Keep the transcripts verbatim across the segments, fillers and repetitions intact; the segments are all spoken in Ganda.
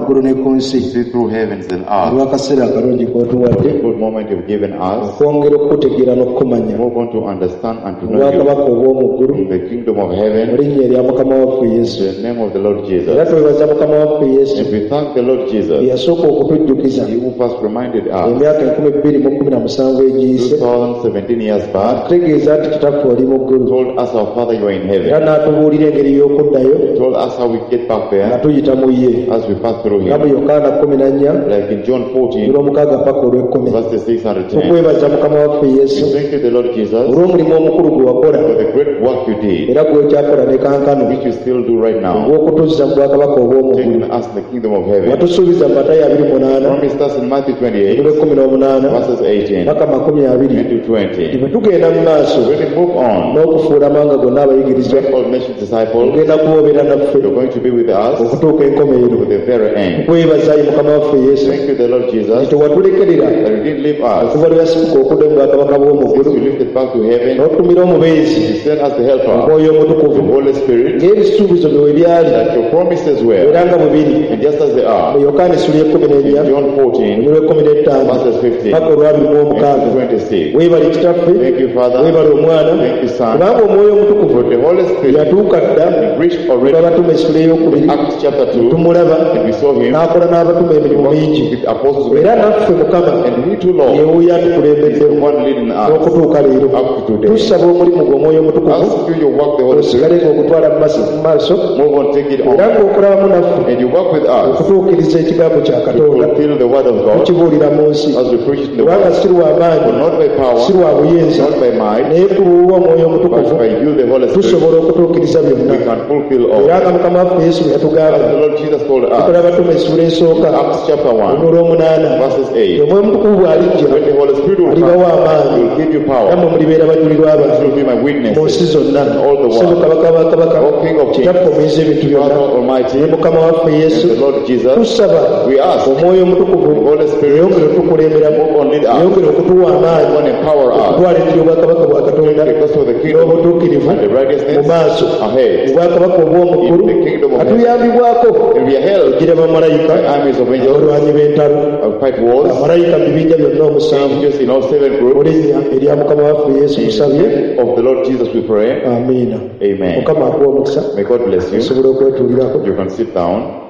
ggulu ne ku nsi See through heavens and earth. Olw'akaseera akalungi k'otuwadde The good moment you've given us. Okwongera okukutegeera n'okukumanya Move on to understand and to know you obwakabaka obw'omu ggulu in the kingdom of mu heaven. Linnya erya mukama waffe Yesu. In the name of the Lord Jesus. Era twebaza mukama waffe Yesu And we thank the Lord Jesus, eyasooka okutujjukiza He who first reminded us emyaka enkumi bbiri mu kkumi na musanvu egiyise two thousand seventeen years back, tutegeeza nti kitaffe oli mu ggulu told us our Father, you are in era heaven. n'atubuulira engeri y'okuddayo Told us how we get back nga there tuyita mu ye as we pass through nga mu Him. Yokaana kkumi na nnya Like in John fourteen, olw'omukaaga paka olw'ekkumi. Verses six and ten. Tukwebaza mukama waffe Yesu We thank you, the Lord Jesus, olw'omulimu omukulu gwe wakola for the great work you did, era gw'okyakola ne kankano which you still do right now, ogw'okutuzza mu bwakabaka obw'omu ggulu. Taking us in the kingdom of heaven. Watusuubiza mu Matayo abiri munaana Promised us in Matthew twenty-eight, olw'ekkumi n'omunaana verses eighteen paka makumi abiri and to twenty. Bwe tugenda mu maaso When we move on, n'okufuula amawanga gonna abayigirizwa make all nations disciples, ogenda kuboobera naffe you're going to be with us okutuuka enkomerero. To the very end. Kwebaza ye mukama waffe Yesu Thank you, the Lord Jesus, tewatulekerera that you didn't leave us. Okuva lwe yasituka okudda mu bwakabaka bw'omu Since ggulu you lifted back to heaven, n'otumira omubeezi you sent us the helper, Omwoyo the Omutukuvu Holy Spirit, ng'ebisuubizo bye we byali that your promises were, era nga bwe biri and just as they mu are, Yokaana essula y'ekkumi n'ennya in John fourteen, olw'ekkumi n'ettaano verses fifteen paka olwabiri mu omukaaga. And twenty-six. Weebale kitaffe Thank you, Father. weebale omwana Thank you, Son. kubanga Omwoyo Omutukuvu For the Holy Spirit yatuuka dda reached already abatume essula ey'okubiri Acts chapter two, tumulaba and we saw him n'akola n'abatume emirimu mingi with the apostles. Era naffe mukama And we too, Lord, yewuyo is the atukulembeddemu one leading us n'okutuuka leero. Up to today. Tusaba omulimu gwe Omwoyo Omutukuvu Ask you your work, the Holy osigale Spirit. ng'okutwala mu maaso- mu maaso Move on, take it era on. ng'okolabamu naffe And you work with us okutuukiriza ekigambo kya to Katonda fulfill the word of God tukibuulira mu nsi as we preach in the kubanga world. si lwa maanyi For not by power, si lwa buyinza not by might, naye ku lw'Omwoyo but Omutukuvu by you, the Holy Spirit, tusobola okutuukiriza byonna we can fulfill all. Era nga mukama waffe Yesu bwe As the yatugamba Lord Jesus told us, tukola abatume essula esooka Acts chapter one, olw'omunaana verses eight, Omwoyo Omutukuvu bw'alijja when the Holy Spirit will alibawa come, amaanyi he will give you power. nammwe mulibeera bajulirwa You bange will be my mu witnesses. nsi zonna All the world. Ssebo kabaka wa kabaka O King of kings, kitaffe omuyinza ebintu byonna Father Almighty, ne mukama waffe Yesu and the Lord Jesus, tusaba we ask Omwoyo Omutukuvu the Holy Spirit yeyongere otukulemberamu move on, lead us, yeyongere okutuwa amaanyi move on, empower us, okutwala enjiri obwakabaka bwa Katonda the gospel of the kingdom n'obutuukirivu and the mu righteousness maaso ahead. mu bwakabaka obw'omu ggulu In the kingdom of heaven. atuyambibwako And we are held gira bamalayika by armies of angels, abalwanyi b'entalo of fight wars, bamalayika mu bibinja byonna omusanvu angels in all seven mu groups. linnya erya mukama waffe Yesu In the tusabye. name of the Lord Jesus we pray. Amiina. Amen. Mukama akuwa omukisa. May God bless you. Osobola okwetuulirako. You can sit down.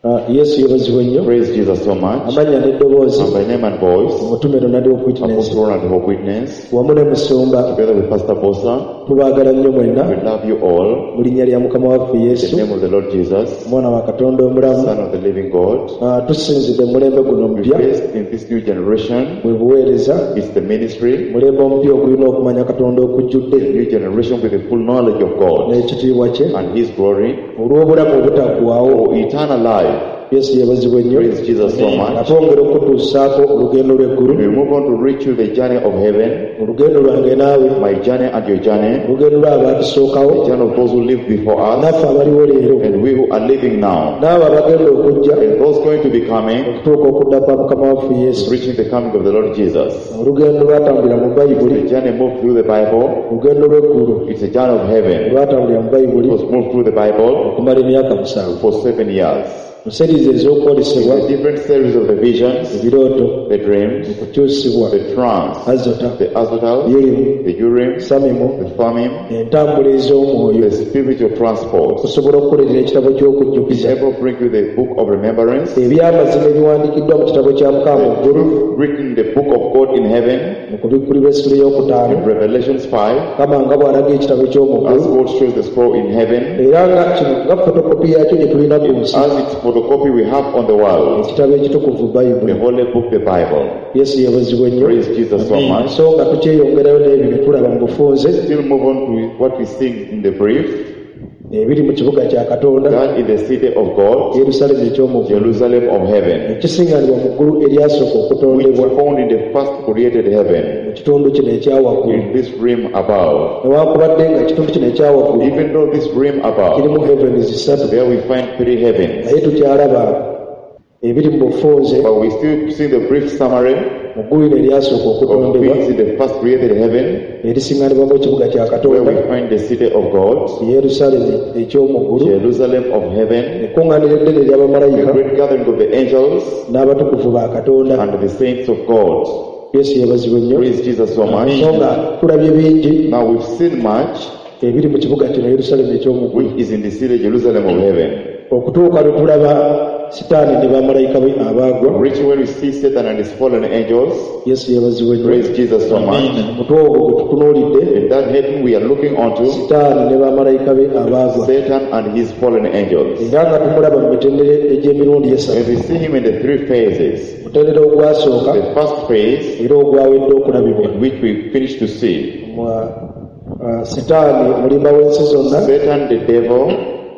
Ah, Yesu yeebazibwe nnyo. Praise Jesus so much. Amannya n'eddoboozi And by name and voice, omutume Ronald Hope Witness Apostle Ronald Hope Witness, wamu ne musumba together with Pastor Bosa, tubaagala nnyo mwenna we love you all. Mu linnya lya mukama waffe In the Yesu name of the Lord Jesus, omwana wa Katonda omulamu. Son of the living God, Ah, tusinzidde mu mulembe guno we omupya based in this new generation. bwe buweereza It's the ministry, mulembe omupya ogulina okumanya Katonda okujjudde the new generation with the full knowledge of God n'ekitiibwa kye and His glory olw'obulamu obutaggwaawo. For eternal life. Yesu yeebazibwe nnyo. Praise Jesus so much. Atwongera okutuusaako olugendo lw'eggulu We move on to reach you the journey of heaven, olugendo lwange naawe my journey and your journey, olugendo lw'abatusookawo the journey of those who lived before us, naffe abaliwo leero and we who are living now, n'abo abagenda okujja and those going to be coming, okutuuka okudda kwa mukama waffe Yesu. Reaching the coming of the Lord Jesus. Olugendo lwatambulira mu Bayibuli The journey moved through the Bible, olugendo lw'eggulu it's a journey of heaven. lwatambulira mu It Bayibuli was moved through the Bible okumala emyaka musanvu for seven years. Mu series ez'okwolesebwa The different series of the visions, ebirooto the dreams, okukyusibwa the trance, azota the Azotal, Urim the Urim, Samimu the Thummim, entambula ez'omwoyo the spiritual transport. Okusobola okukolerera ekitabo ky'okujjukiza Able to bring you the book of remembrance, ebyamazima ebiwandiikiddwa mu kitabo kya mukama mu ggulu truth written in the book of God in heaven, mu kubikkulirwa essula ey'okutaano in Revelations five, kama nga bw'alaga ekitabo eky'omu as ggulu God shows the scroll in heaven, era nga kino nga fotokopi yakyo gye tulina ku nsi as its photocopy we have on the world, ekitabo ekitukuvu the Bayibuli. Holy Book, the Bible. Yesu yeebazibwe nnyo. Praise Jesus so much. So nga tukyeyongerayo n'ebyo bye tulaba mu bufunze Still move on to what we see in the brief, ebiri mu kibuga kya Katonda that in the city of God, Yerusaalemi eky'omu ggulu Jerusalem of heaven, ekisiŋŋanibwa mu ggulu eryasooka which okutondebwa found in the first created heaven, mu kitundu kino ekyawaggulu in this realm above. Newankubadde nga ekitundu kino ekyawaggulu Even though this realm above, kirimu heavens ssatu there we find three heavens, naye tukyalaba Ebiri mu bufunze But we still see the brief summary mu ggulu lino eryasooka of okutondebwa things in the first created heaven, erisiŋŋanibwamu ekibuga kya where Katonda we find the city of God, Yerusaalemi eky'omu ggulu Jerusalem of heaven, ekkuŋŋaaniro eddene the ery'abamalayika great gathering of the angels n'abatukuvu ba Katonda. and the saints of God. Yesu yeebazibwe nnyo. Praise Jesus so much. So nga tulabye bingi Now we've seen much ebiri mu kibuga kino Yerusaalemi eky'omu ggulu which is in the city Jerusalem of heaven. okutuuka lwe tulaba Sitaani ne bamalayika be abaagwa. Reaching when we see Satan and his fallen angels. Yesu yeebazibwe nnyo. Praise Jesus so much. Omutwe ogwo gwe tutunuulidde In that heading we are looking onto Sitaani ne bamalayika be abaagwa Satan and his fallen angels. era nga tumulaba mu mitendera egy'emirundi esatu. And we see him in the three phases. Mutendera ogwasooka The first phase, era ogwawedde okulabibwa in which we finished to see, Mwa- ah, Sitaani omulimba w'ensi zonna Satan the devil,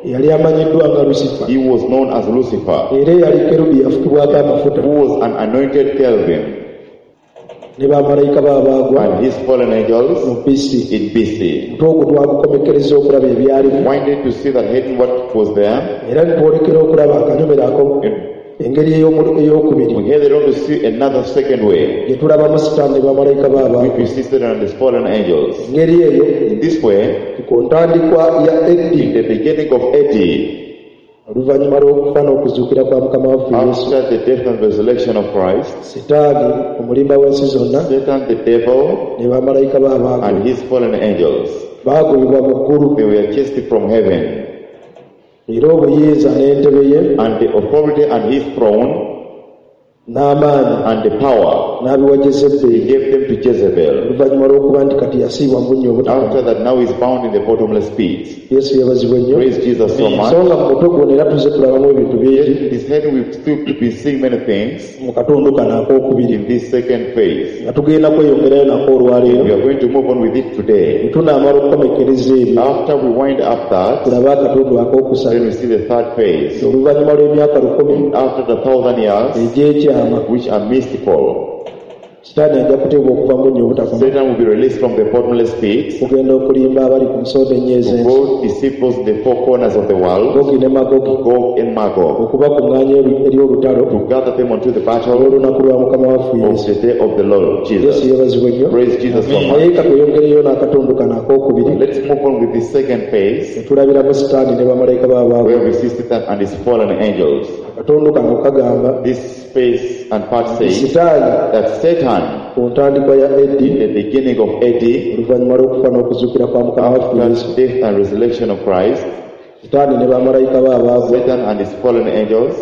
yali amanyiddwa nga Lusifa he was known as Lucifer, era eyali kerubi yafukibwako amafuta who was an anointed cherubim, ne bamalayika be abaagwa and his fallen angels mu B C. in B C. Omutwe ogwo twagukomekkereza okulaba ebyalimu Winded to see that heading what was there, era ne twolekera okulaba akanyomero ako and engeri ey'omu- ey'okubiri we headed on to see another second way, gye tulabamu Sitaani ne bamalayika be which abaagwa. we see Satan and his fallen angels. Engeri eyo In this way, ku ntandikwa ya in A D the beginning of A D, oluvannyuma lw'okufa n'okuzuukira kwa Mukama waffe Yesu after the death and resurrection of Christ, Sitaani omulimba w'ensi zonna Satan the devil ne bamalayika be abaagwa and his fallen angels, baagobebwa mu ggulu they were chased from heaven, era obuyinza n'entebe ye and the authority and his throne n'amaanyi and the power, n'abiwa he Jezeberi gave them to Jezebel. oluvannyuma lw'okuba nti kati yasiibwa mu bunnya obutakoma. After that, now he's bound in the bottomless pit. Yesu yeebazibwe nnyo. Praise Jesus so much. So nga mu mutwe guno era tuzze tulabamu ebintu Yet bingi in this heading, we've still been seeing many things mu katundu kano akookubiri in this second phase. nga tugenda kweyongerayo nako olwaleero. We are going to move on with it today. Bwe tunaamala okukomekkereza ebyo After we wind up that, tulabe akatundu akookusatu then we see the third phase. oluvannyuma lw'emyaka lukumi After the thousand years, egy'ekyama which are mystical, Sitaani ajja kuteebwa okuva mu bunnya obutakoma Satan will be released from the bottomless pit okugenda okulimba abali ku nsonda ennyo to ez'ensi go deceive those in the four corners of the world, Gogi ne Magogi Gog and Magog, okubakuŋŋaanya eri eri olutalo to gather them onto the battle olw'olunaku lwa Mukama waffe of Yesu. the day of the Lord Yesu Jesus. yeebazibwe nnyo. Praise Jesus so much. Naye ka tweyongereyo n'akatundu kano akookubiri Let's move on with the second phase, ne tulabiramu Sitaani ne bamalayika be abaagwa. where we see Satan and his fallen angels. Akatundu kano kagamba This phase and part says Sitaani that Satan, ku ntandikwa ya A D in the beginning of A D, oluvannyuma lw'okufa n'okuzuukira kwa Mukama waffe Yesu after death and resurrection of Christ, Sitaani ne bamalayika be abaagwa Satan and his fallen angels,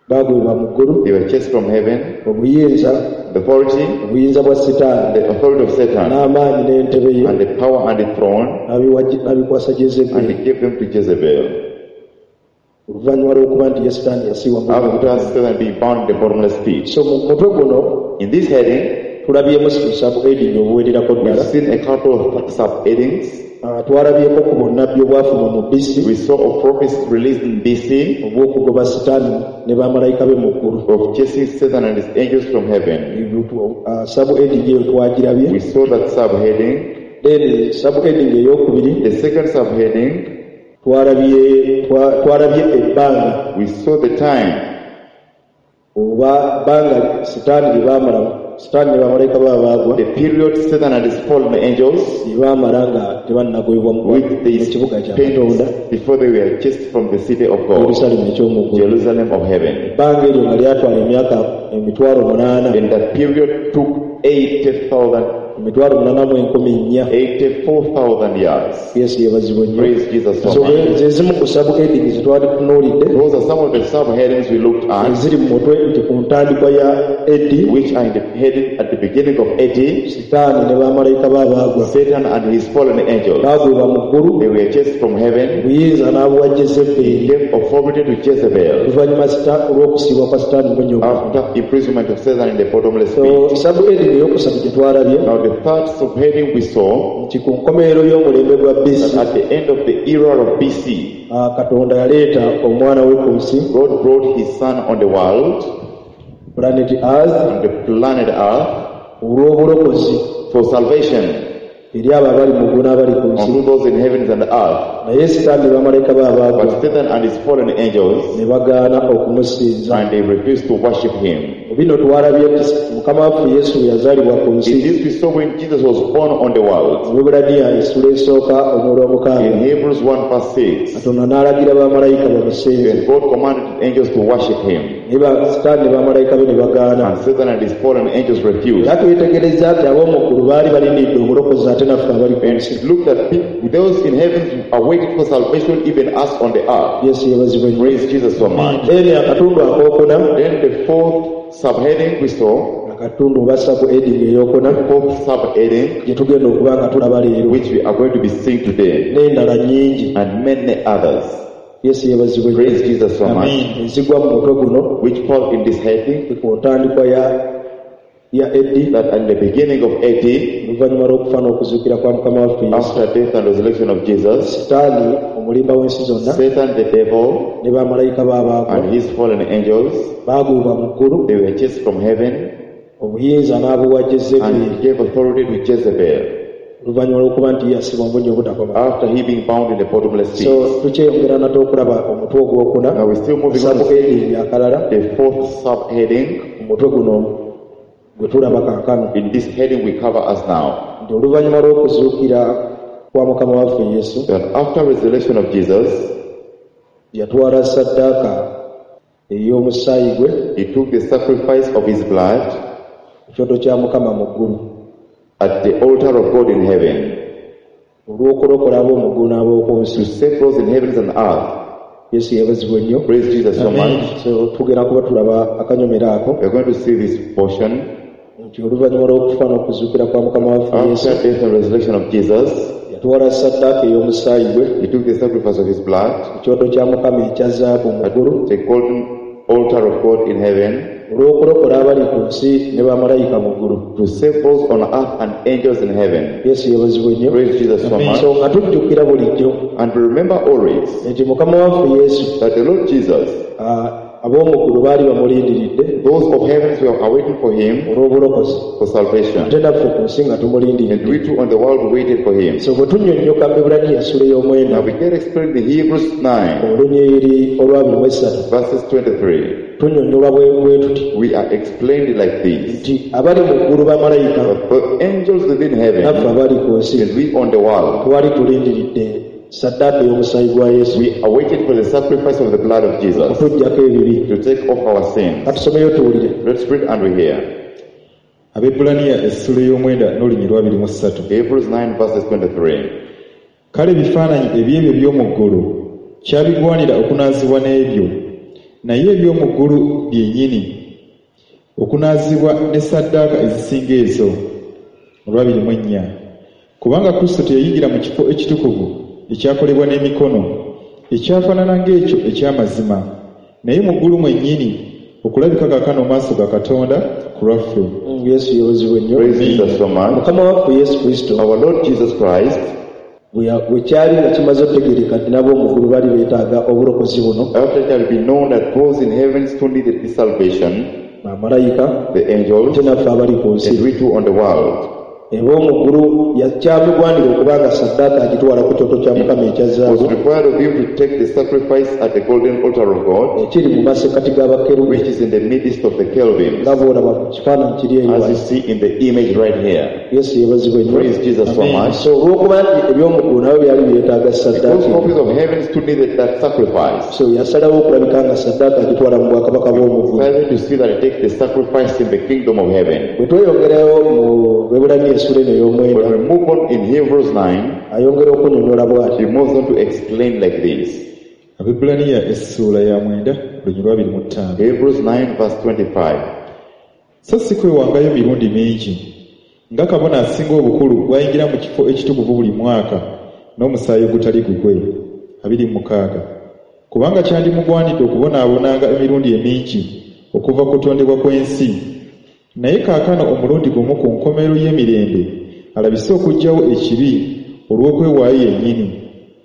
baagwibwa mu ggulu they were chased from heaven. obuyinza The authority, obuyinza bwa Sitaani the authority of Satan, n'amaanyi n'entebe ye and the power and the throne, n'abiwa- n'abikwasa and Jezeberi he gave them to Jezebel. oluvannyuma lw'okuba nti ye Sitaani yasiibwa mu After Satan being bound in the bottomless pit. So mu mutwe guno In this heading, tulabyemu subheading obuwererako we've ddala. seen a couple of subheadings. Ah, twalabyeko ku bunnabbi obwafuma mu B C We saw a prophecy released in B C obw'okugoba Sitaani ne bamalayika be mu ggulu. of chasing Satan and his angels from heaven. Ah, subheading eyo twagirabye. We saw that subheading. Then subheading ey'okubiri The second subheading, twalabye twa- twalabye ebbanga we saw the time oba bbanga Sitaani lye baamala Sitaani ne bamalayika be abaagwa the period Satan and his fallen angels, lye baamala nga tebannagobebwa mu which they mu kibuga kya Katonda spent before they were chased from the city of God, Yerusaalemi eky'omu ggulu. Jerusalem of heaven. Ebbanga eryo nga lyatwala emyaka emitwalo munaana And that period took eighty thousand, emitwalo munaana mu enkumi nnya. eighty-four thousand years. Yesu yeebazibwe nnyo. Praise Jesus so So much. ze zimu ku subheading ze twali tunuulidde Those are some of the subheadings we looked at, eziri mu mutwe nti ku ntandikwa ya A D which are in the heading at the beginning of A D, Sitaani ne bamalayika be abaagwa Satan and his fallen angels. baagwibwa mu ggulu They were chased from heaven. obuyinza n'abuwa Jezeberi He gave authority to Jezebel oluvannyuma Sita- olw'okusiibwa kwa Sitaani bunnya after imprisonment of Satan in the bottomless So pit. subheading eyokusatu gye twalabye Now the third subheading we saw nti ku nkomerero y'omulembe gwa B C that at the end of the era of B C, ah, Katonda yaleeta omwana we ku nsi God brought his son on the world, planet Earth on the planet Earth, olw'obulokozi for salvation. Eri abo abali mu ggulu n'abali ku nsi. Unto those in heavens and earth. Naye Sitaani ne bamalayika be abaagwa But Satan and his fallen angels, ne bagaana okumusinza. and they refused to worship him. Mu bino twalabye nti Mukama waffe Yesu bwe yazaalibwa ku nsi. In this we saw when Jesus was born on the world. Mu Lwebbulaniya essula esooka olw'omukaaga. In Hebrews one verse six. Katonda n'alagira bamalayika bamusinze. And God commanded angels to worship him. Naye ba- Sitaani ne bamalayika be ne bagaana. And Satan and his fallen angels refused. Era twetegereza nti ab'omu ggulu baali balindiridde obulokozi ate naffe abali ku And nsi. it looked at people, those in heaven are waiting for salvation, even us on the earth. Yesu yeebazibwe nnyo. Praise Jesus so much. Then akatundu akookuna, Then the fourth subheading we saw, akatundu oba subheading ey'okuna fourth subheading, gye tugenda okuba nga tulaba leero, which we are going to be seeing today, n'endala nnyingi. and many others. Yesu yeebazibwe nnyo. Praise Jesus so much. Ezigwa mu mutwe guno, Which fall in this heading, ku ntandikwa ya ya A D, that in the beginning of A D, oluvannyuma lw'okufa n'okuzuukira kwa Mukama waffe Yesu, after death and resurrection of Jesus, Sitaani omulimba w'ensi zonna Satan the devil ne bamalayika be abaagwa and his fallen angels, baagwibwa mu ggulu, they were chased from heaven, obuyinza n'abuwa Jezebeli and he gave authority to Jezebel oluvannyuma lw'okuba nti yasibwa mu bunnya obutakoma. after he being bound in the bottomless pit. So tukyeyongera nate okulaba omutwe ogwokuna, Now we're still moving on to subheading akalala, the fourth subheading. Omutwe guno gwe tulaba kaakano. In this heading we cover us now. Nti oluvannyuma lw'okuzuukira kwa Mukama waffe Yesu, That after resurrection of Jesus, yatwala ssaddaaka ey'omusaayi gwe, he took the sacrifice of his blood ku kyoto kya Mukama mu ggulu, at the altar of God in heaven, olw'okulokola ab'omu ggulu n'ab'oku nsi. to save those in heavens and earth. Yesu yeebazibwe nnyo. Praise Jesus so much. So tugenda kuba tulaba akanyomero ako, We are going to see this portion. nti oluvannyuma lw'okufa n'okuzuukira kwa Mukama waffe Yesu, After death and resurrection of Jesus, yatwala ssaddaaka ey'omusaayi gwe he took the sacrifice of his blood ku kyoto kya Mukama ekya zaabu mu ggulu, at the golden altar of God in heaven, olw'okulokola abali ku nsi ne bamalayika mu ggulu. to save those on earth and angels in heaven. Yesu yeebazibwe nnyo. Praise Jesus so much. So nga tujjukira bulijjo And remember always nti Mukama waffe Yesu, that the Lord Jesus, ah, ab'omu ggulu baali bamulindiridde those of heavens were awaiting for him olw'obulokozi, for salvation. ate naffe ku nsi nga tumulindiridde. And we too on the world waited for him. So bwe tunnyonnyoka mu Ebbulaniya essula ey'omwenda, Now we get explained in Hebrews nine, olunyiriri olw'abiri mu essatu, verses twenty-three. tunnyonnyolwa bwe bwe tuti, We are explained like this. nti abali mu ggulu bamalayika, But the angels within heaven naffe abali ku nsi and we on the world, twali tulindiridde ssaddaaka ey'omusaayi gwa Yesu we awaited for the sacrifice of the blood of Jesus okutuggyako ebibi. to take off our sins. Katusomeyo tuwulire. Let's read and we hear. Abebbulaniya essula ey'omwenda n'olunyiriri lw'abiri mu ssatu. Hebrews nine verses twenty-three. Kale ebifaananyi eby'ebyo by'omu ggulu kyabigwanira okunaazibwa n'ebyo, naye eby'omu ggulu byennyini okunaazibwa ne ssaddaaka ezisinga ezo. Olw'abiri mu ennya. Kubanga Kristo teyayingira mu kifo ekitukuvu ekyakolebwa n'emikono, ekyafaanana ng'ekyo eky'amazima, naye mu ggulu mwennyini okulabika kaakano mu maaso ga Katonda ku lwaffe. Mm, Yesu yeebazibwe nnyo. Praise Jesus so much. Mukama waffe Yesu Kristo, Our Lord Jesus Christ, bwe ya-, bwe kyali nga kimaze okutegeereka nti n'ab'omu ggulu baali beetaaga obulokozi buno, after it had been known that those in heaven still needed this salvation, bamalayika, the angels, ate naffe abali ku nsi, and we too on the world, Ab'omu ggulu yakyamugwanira okuba nga ssaddaaka agitwala ku kyoto kya Mukama ekya zaabu, was required of him to take the sacrifice at the golden altar of God, ekiri mu masekkati g'abakerubi, which is in the midst of the cherubims, nga bw'olaba ku kifaananyi kiri eyo as wano. you see in the image right here. Yesu yeebazibwe nnyo. Praise Jesus so much. So olw'okuba nti eby'omu ggulu nabyo byali byetaaga ssaddaaka, Those copies of heaven still needed that sacrifice. So yasalawo okulabika nga ssaddaaka agitwala mu bwakabaka bw'omu ggulu. Decided to see that he takes the sacrifice in the kingdom of heaven. Bwe tweyongerayo mu Lwebbulaniya essula eno ey'omwenda, When we move on in Hebrews nine, ayongera okunnyonnyola bw'ati. he moves on to explain like this. Abebbulaniya essuula ya mwenda olunyiriri lwa abiri mu ttaano. Hebrews nine verse twenty-five. So si kwewangayo mirundi mingi, nga kabona asinga obukulu bw'ayingira mu kifo ekitukuvu buli mwaka n'omusaayi ogutali gugwe. Abiri mu mukaaga. Kubanga kyandimugwanidde okubonaabonanga emirundi emingi okuva ku kutondebwa kw'ensi. Naye kaakano omulundi gumu ku nkomerero y'emirembe alabise okuggyawo ekibi olw'okwewaayo yennyini.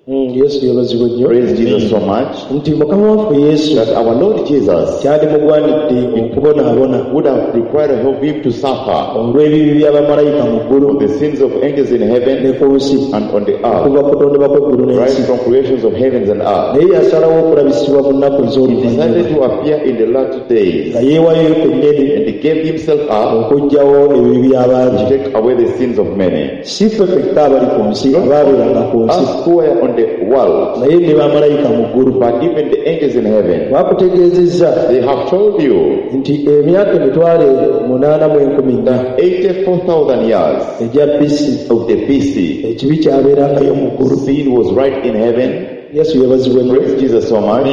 Mm, Yesu yeebazibwe nnyo. Praise Jesus so much Nti Mukama waffe Yesu that our Lord Jesus kyandimugwanidde okubonaabona would have required of him to suffer olw'ebibi by'abamalayika mu ggulu the sins of angels in ne heaven ku nsi and on the earth, okuva ku kutondebwa kw'eggulu right n'ensi. from creations of heavens and earth. Naye yasalawo okulabisibwa mu nnaku He ez'oluvannyuma decided to appear in the latter days nga yeewayo kennyini and he gave himself up okuggyawo ebibi by'abangi. to take away the sins of many. Si ffe ffekka abali ku nsi abaabeeranga ku nsi Us who were on the world, naye ne bamalayika mu ggulu. but even the angels in heaven, Bakutegeezezza they have told you nti emyaka emitwalo munaana mu enkumi nnya that eighty-four thousand years egya B C of the B C, ekibi kyabeerangayo mu ggulu. Sin was right in heaven. Yesu yeebazibwe nnyo. Praise Jesus so much.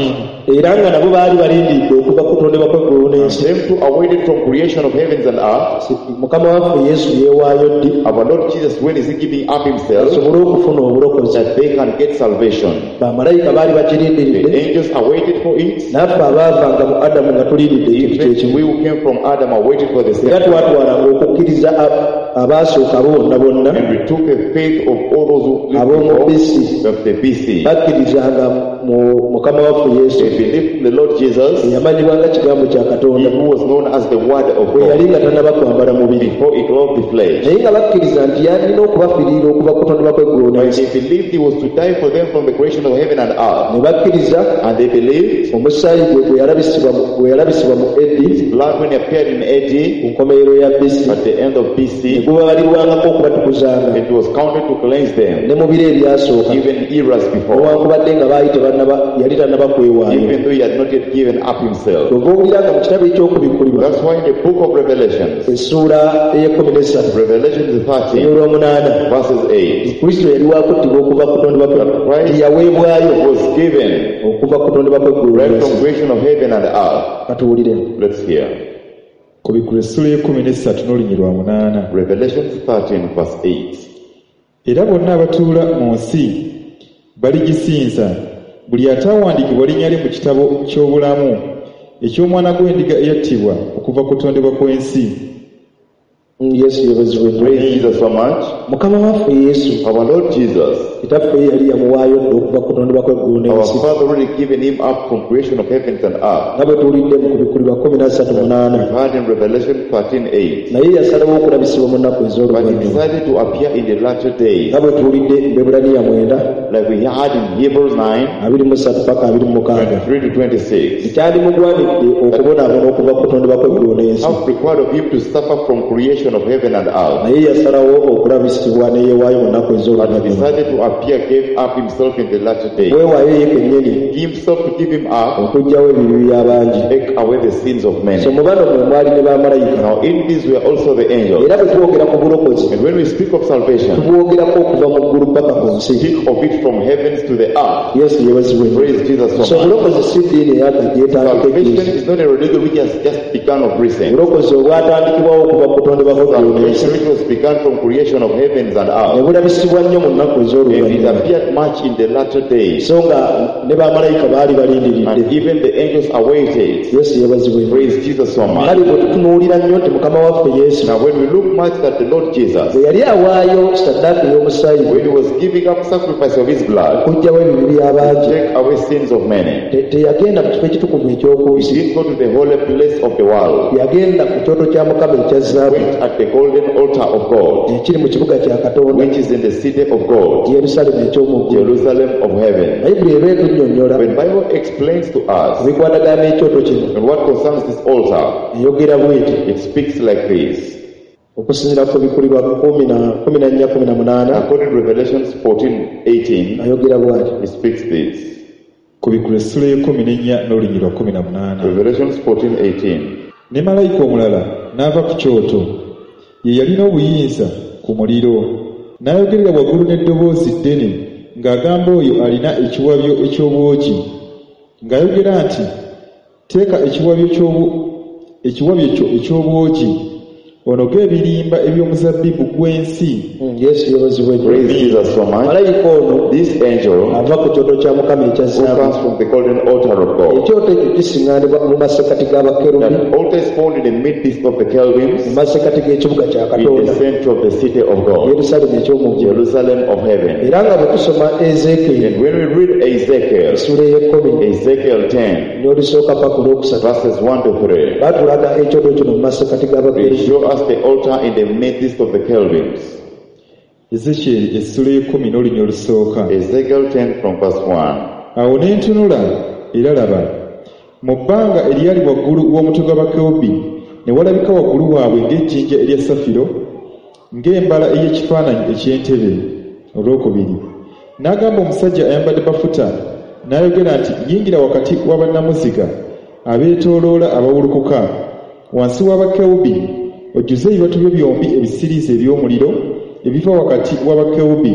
Era nga nabo baali balindiridde okuva ku kutondebwa kw'eggulu n'ensi. Them too awaited from creation of heavens and earth. Mukama waffe Yesu yeewaayo ddi Our Lord Jesus, when is he giving up himself? asobole okufuna obulokozi? That they can get salvation. Bamalayika baali bakirindiridde. The angels awaited for it. Naffe abaavanga mu Adamu nga tulindiridde ekintu Even kyekimu. we who came from Adam awaited for the same. Era twatwalanga okukkiriza a- abaasooka abo bonna bonna And we took the faith of all those who lived ab'omu before B C of the B C. bakkirizanga mu Mukama waffe Yesu They believed in the Lord Jesus, eyamanyibwa nga kigambo kya he Katonda who was known as the Word of bwe yali God, nga tannaba kwambala mubiri before he clothed the flesh. naye nga bakkiriza nti yalina okubafiirira okuva ku kutondebwa kw'eggulu But n'ensi. they believed he was to die for them from the creation of heaven and earth. Ne bakkiriza And they believed omusaayi gwe gwe yalabisibwa mu- gwe yalabisibwa mu A D blood when he appeared in A D ku nkomerero ya B C at the end of ne B C, gubabalirwangako okubatukuzanga it was counted to cleanse them, ne mu biro ebyasooka even eras before, newankubadde nga baali tebannaba yali tannaba kwewaayo. Even though he had not yet given up himself. Kyova owulira nga mu kitabo eky'okubikkulirwa That's why in the book of Revelation, essuula ey'ekkumi n'essatu Revelation thirteen, olw'omunaana verses eight, Kristo yali wakuttibwa okuva ku kutondebwa kwe Christ tiyaweebwayo was given okuva ku kutondebwa kw'eggulu right from n'ensi. creation of heaven and earth. Katuwulire. Let's hear. Kubikkulwa essula y'ekkumi n'essatu n'olunyiriri lwa munaana. Revelation thirteen, verse eight. Era bonna abatuula mu nsi baligisinza buli ataawandiikibwa linnya lye mu kitabo ky'obulamu eky'omwana gw'endiga eyattibwa okuva ku kutondebwa kw'ensi. Yesu yeebazibwe nnyo. Praise Jesus so much. Mukama waffe Yesu Our Lord Jesus, kitaffe ye yali yamuwaayo dda okuva ku kutondebwa kw'eggulu our n'ensi Father already given him up from creation of heavens and earth. Nga bwe tuwulidde mu kubikkulirwa kkumi na ssatu munaana. We've heard in Revelation thirteen eight. Naye yasalawo okulabisibwa mu nnaku But he ez'oluvannyuma decided to appear in the latter days, nga bwe tuwulidde mu Baebbulaniya mwenda like we had in Hebrews nine abiri mu ssatu paka abiri mu mukaaga three to twenty-six. Kyandimugwanidde okubonaabona okuva ku kutondebwa kw'eggulu n'ensi. How required of him to suffer from creation of heaven and earth. Naye yasalawo okulabisibwa ne yeewaayo mu nnaku But he ez'oluvannyuma. Decided to appear, gave up himself in the latter days. Weewaayo ye kennyini Himself to give him up, okuggyawo ebibi by'abangi. Take away the sins of So many. mu bano mwe mwali ne bamalayika. Now in this were also the angels. Era bwe twogera ku bulokozi And when we speak of salvation, tubwogerako okuva mu ggulu paka ku nsi. Speak of it from heavens to the earth. Yesu yeebazibwe nnyo. Praise Jesus So so much. obulokozi si ddiini eyakajja etandika Salvation ejjuuzi. is not a religion which has just begun of recent. Obulokozi obwatandikibwawo okuva ku kutondebwa kw'eggulu n'ensi Salvation which was begun from creation of heavens and ne earth. bulabisibwa nnyo mu nnaku And it ez'oluvannyuma appeared much in the latter days. so nga ne bamalayika baali balindiridde. And even the angels awaited. Yesu yeebazibwe nnyo. Praise Jesus so much. Kale bwe tutunuulira nnyo nti Mukama waffe Yesu Now when we look much at the Lord Jesus, bwe yali awaayo saddaaka ey'omusaayi gwe when he was giving up sacrifice of his blood, okuggyawo ebibi by'abangi take away sins of many, te- teyagenda mu kifo ekitukuvu eky'oku he nsi. didn't go to the holy place of the world. Yagenda ku kyoto kya Mukama ekya zaabu Went at the golden altar of God, ekiri mu kibuga kya Katonda which is in the city of God, Yerusaalemu eky'omu ggulu. Jerusalem of heaven. Bayibuli eba etunnyonnyola When Bible explains to us ebikwatagana n'ekyoto kino and what concerns this altar, eyogera bweti it speaks like this. Okusinziira ku Bikkulirwa kumi na kumi na nnya kumi na munaana According to Revelations fourteen eighteen, ayogera bwati. It speaks this. Kubikkulwa essula y'ekkumi n'ennya n'olunyiriri lwa kkumi na munaana. Revelations fourteen eighteen. Ne malayika omulala n'ava ku kyoto ye yalina obuyinza ku muliro n'ayogerera waggulu n'eddoboozi ddene ng'agamba oyo alina ekiwabyo eky'obwogi ng'ayogera nti teeka ekiwabyo ky'obu- ekiwabyo kyo eky'obwogi onoge ebirimba eby'omuzabbibu gw'ensi. Mm, Yesu yeebazibwe nnyo. Praise Jesus so much. Malayika ono This angel ava ku kyoto kya Mukama ekya who zaabu. comes from the golden altar of God. Ekyoto ekyo kisiŋŋaanibwa mu masekkati g'abakerubi, That altar is found in the midst of the Kelvins, mu masekkati g'ekibuga kya in Katonda, the center of the city of God, Yerusaalemi eky'omu ggulu. Jerusalem of heaven. Era nga bwe tusoma Ezeekyeri And when we read Ezekiel, essuula ey'ekkumi Ezekiel ten, n'olusooka paka olwokusatu, verses one to three, batulaga ekyoto kino mu masekkati they g'abakerubi. show us the altar in the midst of the Kelvins. Ezekyeri essula ey'ekkumi n'olunya olusooka. Ezekiel ten from verse one. Awo ne ntunula era laba, mu bbanga eryali waggulu w'omutwe gw'abakerubi ne walabika waggulu waabwe ng'ejjinja erya safiro, ng'embala ey'ekifaananyi eky'entebe. Olwokubiri n'agamba omusajja ayambadde bafuta n'ayogera nti, yingira wakati w'abannamuziga abeetooloola abawulukuka wansi w'abakerubi, ojjuze ebibatu byo byombi ebisiriiza eby'omuliro ebiva wakati w'abakerubi,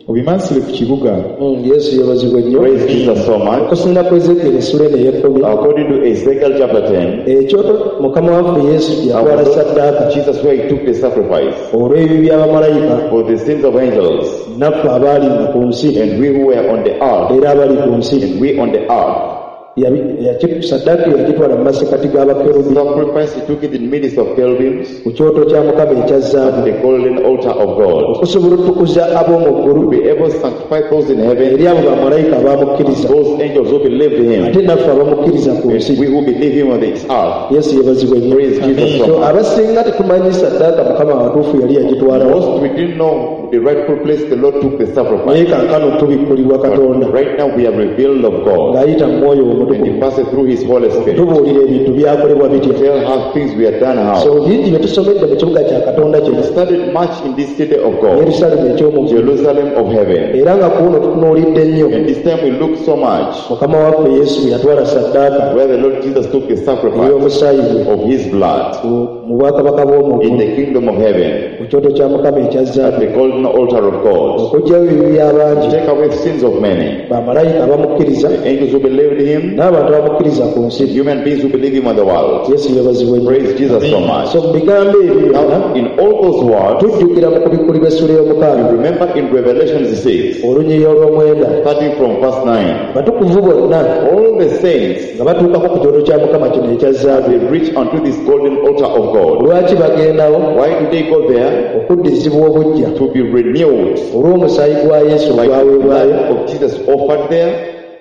obimansule ku kibuga. Mm, Yesu yeebazibwe nnyo. Praise Jesus so much. Okusinziira ku Ezeekyeri essuula eno ey'ekkumi, According to Ezekiel chapter ten, ekyoto Mukama waffe Yesu gye yatwala ssaddaaka Jesus where he took the sacrifice olw'ebibi by'abamalayika for the sins of angels, naffe abaalinga ku nsi and we who were on the earth, era abali ku nsi. and we on the earth. Yabi- yaki- Ssaddaaka yagitwala mu masekkati g'abakerubi Sacrifice, he took it in midst of cherubims, ku kyoto kya Mukama ekya zaabu, the golden altar of God, okusobola otukuza ab'omu to ggulu be able to sanctify those in heaven, eri abo bamalayika abamukkiriza, those angels who believed him, ate naffe abamukkiriza ku nsi. and we who believe him on this earth. Yesu yeebazibwe nnyo. Praise Jesus so So much. abasinga tetumanyi ssaddaaka Mukama watuufu yali yagitwalawo, Most we didn't know the rightful place the Lord took the naye sacrifice. kaakano tubikkulirwa Katonda But right now we are revealed of God, ng'ayita mu Mwoyo and he Omutukuvu passes through his Holy Spirit. tubuulira ebintu byakolebwa bitya. Tell how things were done how. So bingi bye tusomedde mu kibuga kya Katonda kino, We studied much in this city of God, Yerusaalemi eky'omu ggulu, Jerusalem of heaven. era nga ku luno tutunuulidde nnyo And this time we look so much Mukama waffe Yesu bwe yatwala ssaddaaka where the Lord Jesus took the sacrifice ey'omusaayi gwe of his blood mu mu bwakabaka bw'omu in ggulu the kingdom of heaven, ku kyoto kya Mukama ekya at zaabu, the golden altar of God, okuggyayo ebibi by'abangi, to take away sins of many, bamalayika abamukkiriza the angels who believed him, n'abantu abamukkiriza ku nsi. human beings who believe him on the world. Yesu yeebazibwe nnyo. Praise Jesus so much. So mu bigambo ebyo byonna Now, in all those words, tujjukira mu kubikkulirwa essuula y'omukaaga remember in Revelation six, olunyiriri olw'omwenda, starting from verse nine, abatukuvu bonna all the saints, nga batuukako ku kyoto kya Mukama kino ekya zaabu. they reach unto this golden altar of God. Lwaki bagendawo? Why do they go there? Okuddizibwa obuggya To be renewed olw'omusaayi gwa Yesu by the ogwaweebwayo, blood of Jesus offered there,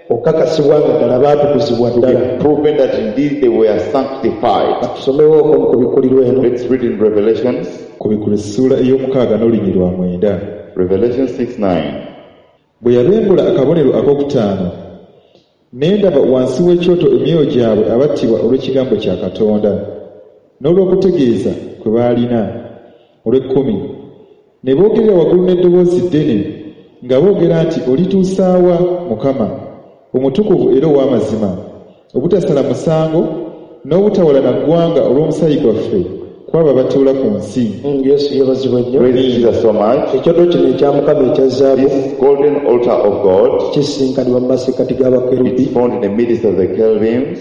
okukakasibwa nga ddala baatukuzibwa to ddala. be proven that indeed they were sanctified. Tusomewooko mu kubikkulirwa eno. Let's read in Revelations, Kubikkulwa essuula ey'omukaaga n'olunyiriri lwa mwenda. Revelation six nine. Bwe yabembula akabonero ak'okutaano, ne ndaba wansi w'ekyoto emyoyo gyabwe abattibwa olw'ekigambo kya Katonda n'olw'okutegeeza kwe baalina. Olw'ekkumi, ne boogerera waggulu n'eddoboozi ddene nga boogera nti, olituusaawa Mukama, omutukuvu era ow'amazima, obutasala musango n'obutawalana ggwanga olw'omusaayi gwaffe kw'abo abatuula ku nsi. Mm, Yesu yeebazibwe nnyo. Praise Jesus so much. Ekyoto kino ekya Mukama ekya zaabu This golden altar of God kisinkanibwa mu masekkati g'abakerubi is found in the midst of the cherubims,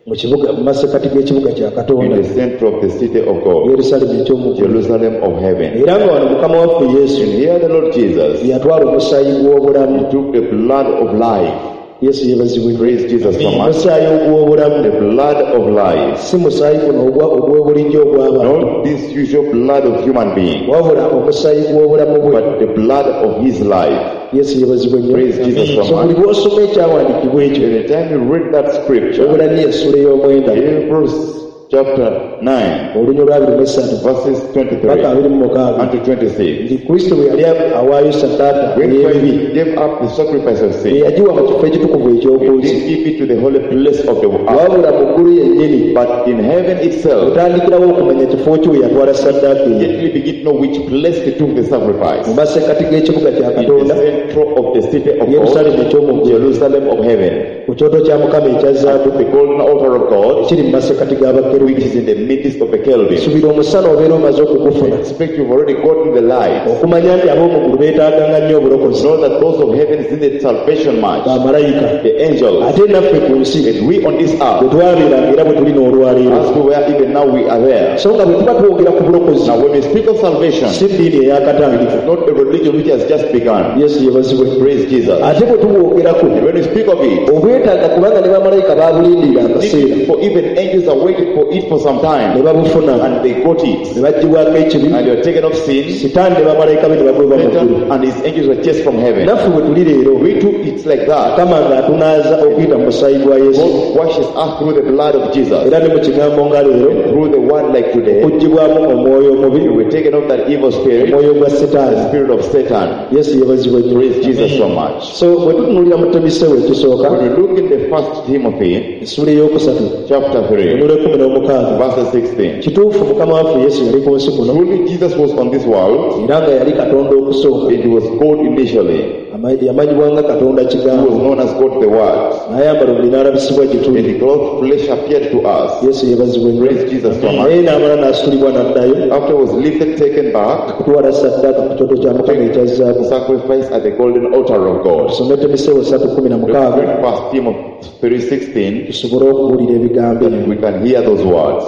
mu kibuga, mu masekkati g'ekibuga kya in Katonda, the center of the city of God, Yerusaalemi eky'omu ggulu. Jerusalem of heaven. Era nga wano Mukama waffe Yesu And here the Lord Jesus, yatwala omusaayi gw'obulamu. he took the blood of life. Yesu yeebazibwe nnyo. Praise Jesus so much. Omusaayi ogw'obulamu, The blood of life. si musaayi guno ogwa ogw'obulijjo ogw'abantu, Not this usual blood of human being, wabula omusaayi gw'obulamu bwe. but the blood of his life. Yesu yeebazibwe nnyo. Praise Jesus so So buli much. lw'osoma ekyawandiikibwa ekyo, Anytime you read that scripture, Ebbulaniya essuula ey'omwenda Hebrews chapter nine, olunya olwa abiri mu essatu verses paka twenty-three abiri mu mukaaga, unto twenty-six. nti Kristo bwe yali awaayo ssaddaaka When ey'ebibi, Christ gave up the sacrifice of sin, teyagiwa mu kifo ekitukuvu he eky'oku nsi, didn't give it to the holy place of the earth, wabula mu ggulu yennyini. but in heaven itself, Otandikirawo okumanya kifo ki we yatwala ssaddaaka eyo, immediately begin to know which place he took the sacrifice. mu masekkati g'ekibuga kya In the Katonda, center of the city of Yerusaalemi God, eky'omu ggulu, Jerusalem of heaven, ku kyoto kya Mukama ekya zaabu the golden altar of God ekiri mu masekkati g'abakerubi bakerubi which is in the midst of the Kelvin. Subira omusana obeera omaze okugufuna Expect you've already gotten the light. Okumanya nti ab'omu ggulu beetaaganga nnyo obulokozi Know that those of heaven needed salvation much. Bamalayika The angels. Ate naffe ku nsi And we on this bwe earth, twabeeranga era bwe tuli n'olwaleero as we were even now we are there. So nga bwe tuba twogera ku bulokozi Now when we speak of salvation, si ddiini eyakatandika not a religion which has just begun. Yesu yebazibwe Praise Jesus. Ate bwe tubwogerako And when we speak of it, obwetaaga kubanga ne bamalayika baabulindirira akaseera for even angels are waiting for it for some ne time, babufuna and they got it, ne baggyibwako ekibi and they were taken off sin. Sitaani ne bamalayika be ne bagwebwa mu ggulu Satan and his angels were chased from heaven. Naffe bwe tuli leero We too, it's like that. Mukama ng'atunaaza okuyita mu musaayi gwa Yesu God washes us through the blood of Jesus, era ne mu kigambo nga leero through the word like today. okuggyibwamu omwoyo omubi We were taken off that evil spirit, omwoyo gwa the sitaani spirit of Satan. Yesu yeebazibwe nnyo Praise Jesus so much. So bwe tutunuulira mu Timoseewo ekisooka When we look in the first Timothy, essuula ey'okusatu chapter three, olunyiriri lw'ekkumi n'omukaaga verse sixteen. Kituufu mukama waffe Yesu yali ku nsi kuno Truly Jesus was on this world, era nga yali Katonda okusooka and he was God initially. Ama- yamanyibwa nga Katonda He was Kigambo known as God the Word. n'ayambala omubiri n'alabisibwa gye And tuli the clothed flesh appeared to us. Yesu yeebazibwe nnyo Praise Jesus so much. naye n'amala n'asitulibwa n'addayo After he was lifted, taken back, okutwala saddaaka ku kyoto kya Mukama ekya zaabu sacrifice at the golden altar of God. Tusome Timoseewo ssatu kkumi na mukaaga Read First Timothy three sixteen tusobole okuwulira ebigambo ebyo we can hear those words.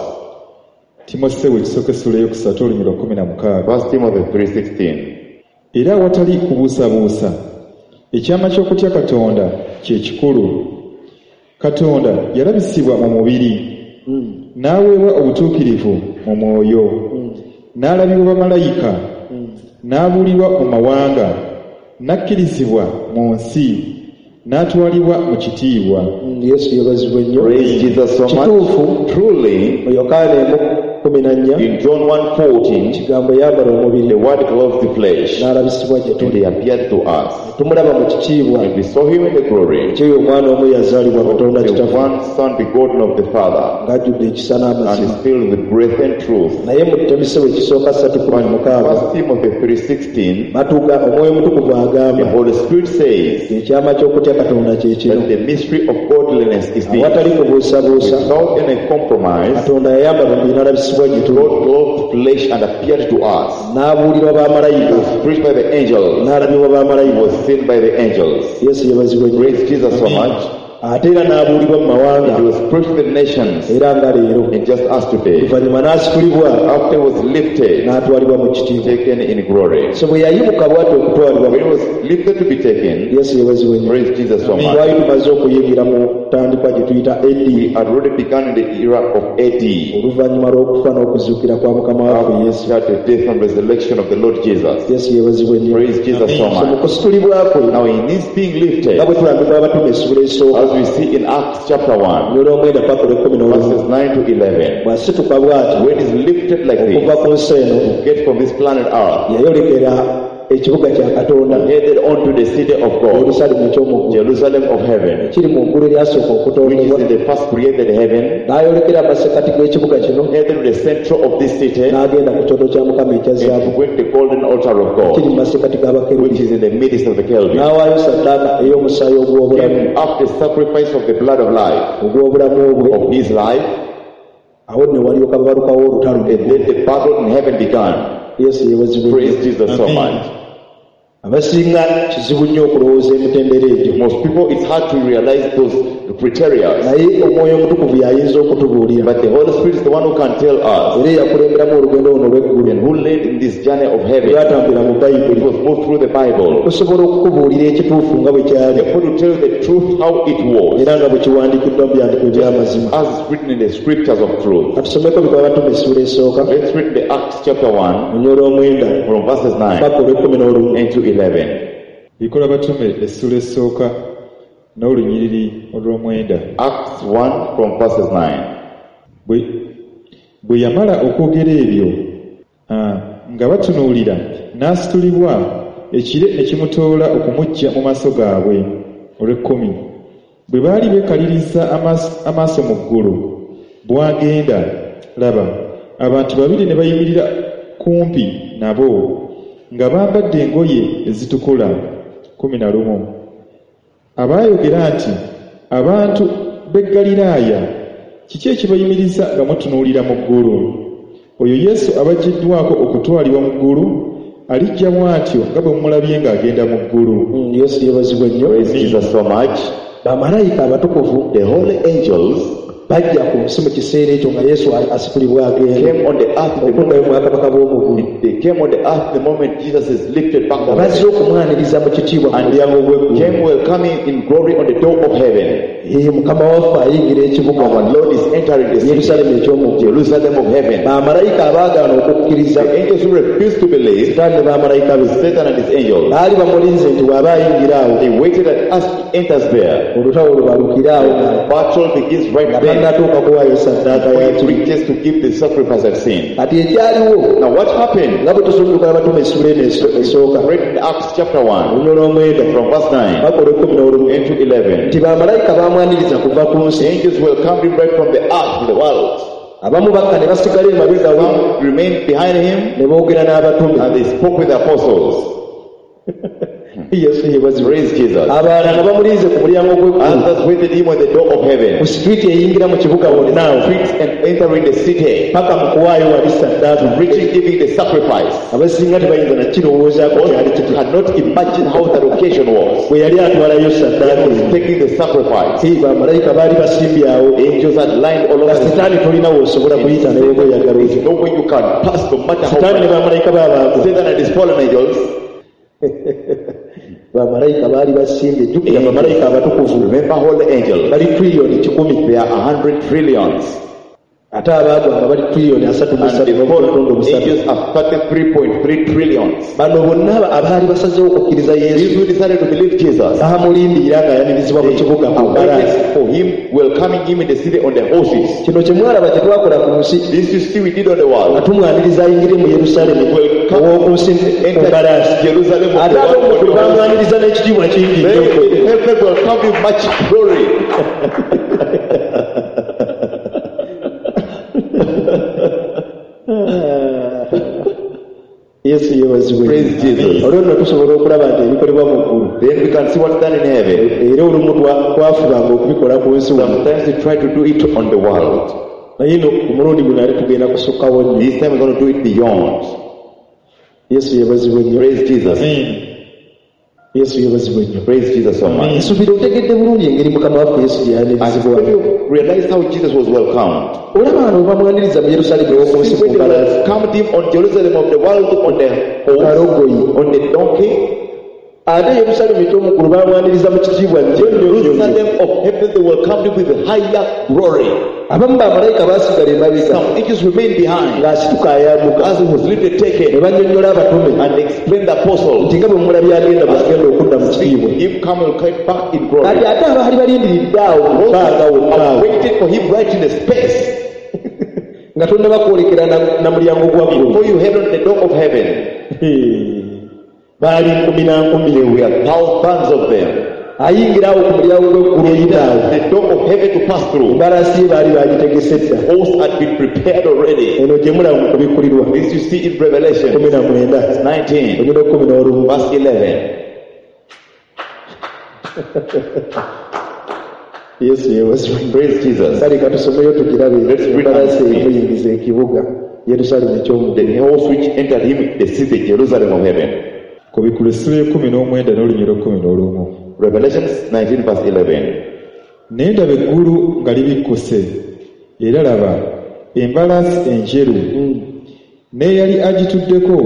Timoseewo ekisooka essula eyokusatu olunyiriri lwa kkumi na mukaaga First Timothy three sixteen. Era awatali kubuusabuusa ekyama ky'okutya Katonda kye kikulu Katonda yalabisibwa mu mubiri n'aweebwa obutuukirivu mu mwoyo n'alabibwa bamalayika n'abuulirwa mu mawanga n'akkirizibwa mu nsi n'atwalibwa mu kitiibwa Mm, Yesu yeebazibwe nnyo Praise Jesus so much. Kituufu Truly, mu Yokaana emu kkumi na nnya in John one fourteen, kigambo yambala omubiri the Word clothed the flesh, n'alabisibwa gye and tuli he appeared to us. Tumulaba mu kitiibwa And we saw him in the glory, kyeyo omwana omu yazaalibwa Katonda the Kitaffe one Son begotten of the Father, ng'ajjudde ekisa and n'amazima is filled with grace and truth. Naye mu Timoseewo ekisooka ssatu kkumi na mukaaga First Timothy three sixteen, batuuka Omwoyo Omutukuvu the agamba Holy Spirit says ekyama ky'okutya Katonda kye kino that the mystery of godliness is this. Awatali kubuusabuusa Without any compromise, Katonda yayambala omubiri n'alabisibwa gye tuli God clothed flesh and appeared to us. N'abuulirwa bamalayika Was preached by the angels, n'alabibwa bamalayika was seen by the angels. Yesu yeebazibwe nnyo Praise Jesus so much. Ate era n'abuulibwa mu mawanga He was preached to the nations, era nga leero and just as today. Oluvannyuma n'asitulibwa After he was lifted, n'atwalibwa mu kitiibwa taken in glory. So bwe yayimuka bw'ati okutwalibwa When he was lifted to be taken, Yesu yeebazibwe nnyo praise Jesus so much. Twali tumaze okuyingira mu ntandikwa gye tuyita A D We had already begun in the era of A D oluvannyuma lw'okufa n'okuzuukira kwa mukama waffe Yesu after the death and resurrection of the Lord Jesus. Yesu yeebazibwe nnyo Praise Jesus so So mu much. kusitulibwa kwe Now in his being lifted, nga bwe tulambikwa Abatume essula esooka as we see in Acts chapter one, olwomwenda paka olw'ekkumi n'olumu verses nine to eleven, bw'asituka bw'ati when he's lifted like okuva this, ku nsi eno get from this planet Earth, yayolekera ekibuga kya Katonda headed on to the city of God, Yerusaalemu eky'omu ggulu Jerusalem of heaven, ekiri mu ggulu eryasooka which is okutondebwa in the first created heaven, n'ayolekera amasekkati g'ekibuga kino headed to the center of this city, n'agenda ku kyoto kya Mukama ekya zaabu and went the golden altar of kiri mu God, masekkati which g'abakerubi is in the midst of the Kelvin. N'awaayo saddaaka ey'omusaayi ogw'obulamu Gave up the sacrifice of the blood of life, ogw'obulamu bwe of his life, awo nne walyoka babalukawo olutalo and then the battle in heaven began. Yesu yeebazibwe Praise Jesus so Amen. much. Abasinga kizibu nnyo okulowooza emitendera egyo Most people, it's hard to realize those criteria. Naye Omwoyo Omutukuvu y'ayinza okutubuulira But the Holy Spirit is the one who can tell us era eyakulemberamu olugendo luno olw'eggulu and who led in this journey of heaven. lwatambulira mu It Bayibuli was moved through the Bible. tusobola okukubuulira ekituufu nga bwe kyali Therefore, to tell the truth how it was, era nga bwe kiwandiikiddwa mu byandiko eby'amazima as it's written in the scriptures of truth. Katusomeko Bikolwa Batume essuula esooka Let's read the Acts chapter one olunyiriri olw'omwenda from verses nine paka olw'ekkumi n'olumu and to eleven. Bikolwa Batume essula esooka n'olunyiriri olw'omwenda Acts one from verses nine. Bwe bwe yamala okwogera ebyo ah, nga batunuulira n'asitulibwa ekire ne kimutoola okumuggya mu maaso gaabwe olw'ekkumi bwe baali beekaliriza amaaso- amaaso mu ggulu bw'agenda laba abantu babiri ne bayimirira kumpi nabo nga bambadde engoye ezitukula kkumi na lumu abaayogera nti abantu b'e Ggaliraaya Kiki ekibayimiriza nga mutunuulira mu ggulu? Oyo Yesu abaggiddwako okutwalibwa mu ggulu alijja bw'atyo nga bwe mumulabye ng'agenda mu ggulu. Mm, Yesu yeebazibwe nnyo. Praise Jesus so much. Bamalayika abatukuvu The holy angels bajja ku nsi mu kiseera ekyo nga Yesu asitulibwa agenda came on the earth the okuddayo moment, mu bwakabaka bw'omu ggulu. they came on the earth the moment Jesus is lifted back Nga on bazze heaven. okumwaniriza mu kitiibwa ku mulyango gw'eggulu. Came welcoming in glory on the door of heaven. Ee, Mukama waffe ayingira ekibuga Our Lord is entering the city, Yerusaalemi eky'omu ggulu. Jerusalem of heaven. Bamalayika abaagaana okukkiriza The angels who refused to believe, Sitaani ne bamalayika be Satan and his angels, baali bamulinze nti bw'aba ayingira awo they waited that as he enters there, olutalo lubalukire awo nga battle begins right nga then. tannatuuka kuwaayo saddaaka Before ya he kibi. reaches to give the sacrifice of sin. Kati ekyaliwo Now what happened? nga bwe tusomye abatume essula eno eso- esooka Read in Acts chapter one, olunyolo omwenda from verse nine paka olw'ekkumi n'olumu into eleven. nti bamalayika baamwaniriza kuva ku nsi. Angels welcomed him right from the earth to the world. Abamu bakka ne basigala emabega we Some remained behind him ne boogera n'abatume. and they spoke with the apostles. Yesu yeebazibwe. Praise Jesus. Abalala nga bamulinze ku mulyango gw'eggulu Others waited him on the door of heaven. ku situiti eyingira mu kibuga wonna awo Streets and entering the city, paka mu kuwaayo wali saddaaka. reaching giving the sacrifice. Abasinga tebayinza nakirowoozaako kyali Most kitya cannot imagine how that occasion was. bwe yali atwalayo saddaaka He was eyo. taking the sacrifice. Ee, bamalayika baali basimbye awo Angels had lined all nga over the sitaani tolina w'osobola kuyita ne bw'oba oyagala There's otya. no way you can pass no matter how Sitaani ne much. bamalayika b'abantu Satan and his fallen angels. bamalayika baali basimbye. Jjukira bamalayika abatukuvu Remember all the angels. bali triliyoni kikumi They are a hundred trillions. ate abaagwa nga bali triliyoni asatu mu And ssatu the n'obutondo fallen busatu. angels are thirty-three point three trillions. Bano bonna aba- abaali basazeewo okukkiriza These Yesu who decided to believe Jesus, baamulindirira ng'ayanirizibwa mu kibuga ku mbalaasi. waited for him, welcoming him in the city on the horses. Kino kye mwalaba kye twakola ku nsi This you see we did on the nga world. tumwaniriza ayingire mu Yerusaalemi ow'oku nsi ku mbalaasi. Entered Jerusalem of Ate the ab'omu world ggulu on the horses. bamwaniriza n'ekitiibwa kingi Then nnyo. in heaven welcomed him much glory. Yesu yeebazibwe. Praise Jesus. Olwo nno tusobola okulaba nti ebikolebwa mu ggulu Then we can see what's done in heaven. era olumu twa- twafubanga okubikola ku nsi wano. Sometimes we try to do it on the world. Naye no ku mulundi guno ate tugenda kusukkawo nnyo. This time we're going to do it beyond. Yesu yeebazibwe nnyo. Praise Jesus. Amen. Yesu yeebazibwe nnyo. Praise Jesus so much. Nsuubira otegedde bulungi engeri Mukama waffe Yesu gye And yanirizibwa. when you realize how Jesus was welcomed, Olaba wano bwe bamwaniriza mu Yerusaalemi ow'oku nsi see ku when they mbalaasi welcomed him on Jerusalem of the world on the horse, kalogoyi. on the donkey, Ate Yerusaalemi eky'omu ggulu bamwaniriza mu kitiibwa nnyo nnyo nnyo nnyo. Jerusalem of heaven, they welcomed him with higher glory. Abamu bamalayika baasigala emabega Some angels remained behind ng'asituka ayambuka as he was lifted, ne taken, bannyonnyola abatume and explained the apostles. nti nga bwe mulabye agenda bw'agenda okudda mu kitiibwa. Him come and come back in glory. Kati ate abaali balindiridde awo mu bbanga wokka awo Waited for him right in the space nga tonnaba kwolekera na- na mulyango gwa ggulu. before you head on the door of heaven. Baali nkumi na nkumi. There were thousands of them. Ayingira awo ku mulyango gw'eggulu oyita awo. The door of heaven to pass through. Embalaasi ye baali bagitegese dda. Hosts had been prepared already. Eno gye mulaba mu kubikkulirwa This you see in Revelation kumi na mwenda nineteen, olunyiriri kkumi n'olumu. verse eleven. Yesu yeebazibwe. Praise Jesus. Kale katusomeyo tugirabe Let's read embalaasi and see. emuyingiza ekibuga Yerusaalemi eky'omu The ggulu. horse which entered him, the city, Jerusalem of heaven. Kubikkulwa essula y'ekkumi n'omwenda n'olunyiriri kkumi n'olumu. Revelation nineteen, verse eleven. Ne ndaba eggulu nga libikkuse, era laba embalaasi enjeru, n'eyali agituddeko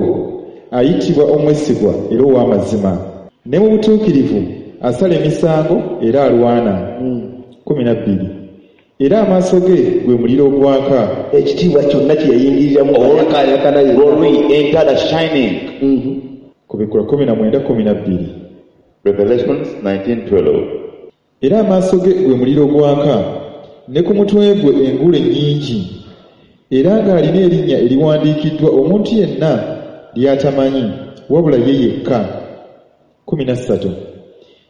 ayitibwa omwesigwa era ow'amazima, ne mu butuukirivu asala emisango era alwana. Kkumi na bbiri. Era amaaso ge gwe muliro ogwaka. Ekitiibwa kyonna kye yayingiriramu All ayakaayakana yenna. glory entered a shining. Kubikkulwa kkumi na mwenda kkumi na bbiri. Revelation nineteen, twelve. Era amaaso ge gwe muliro ogwaka, ne ku mutwe gwe engule nnyingi, era ng'alina erinnya eriwandiikiddwa omuntu yenna ly'atamanyi, wabula ye yekka. Kkumi na ssatu.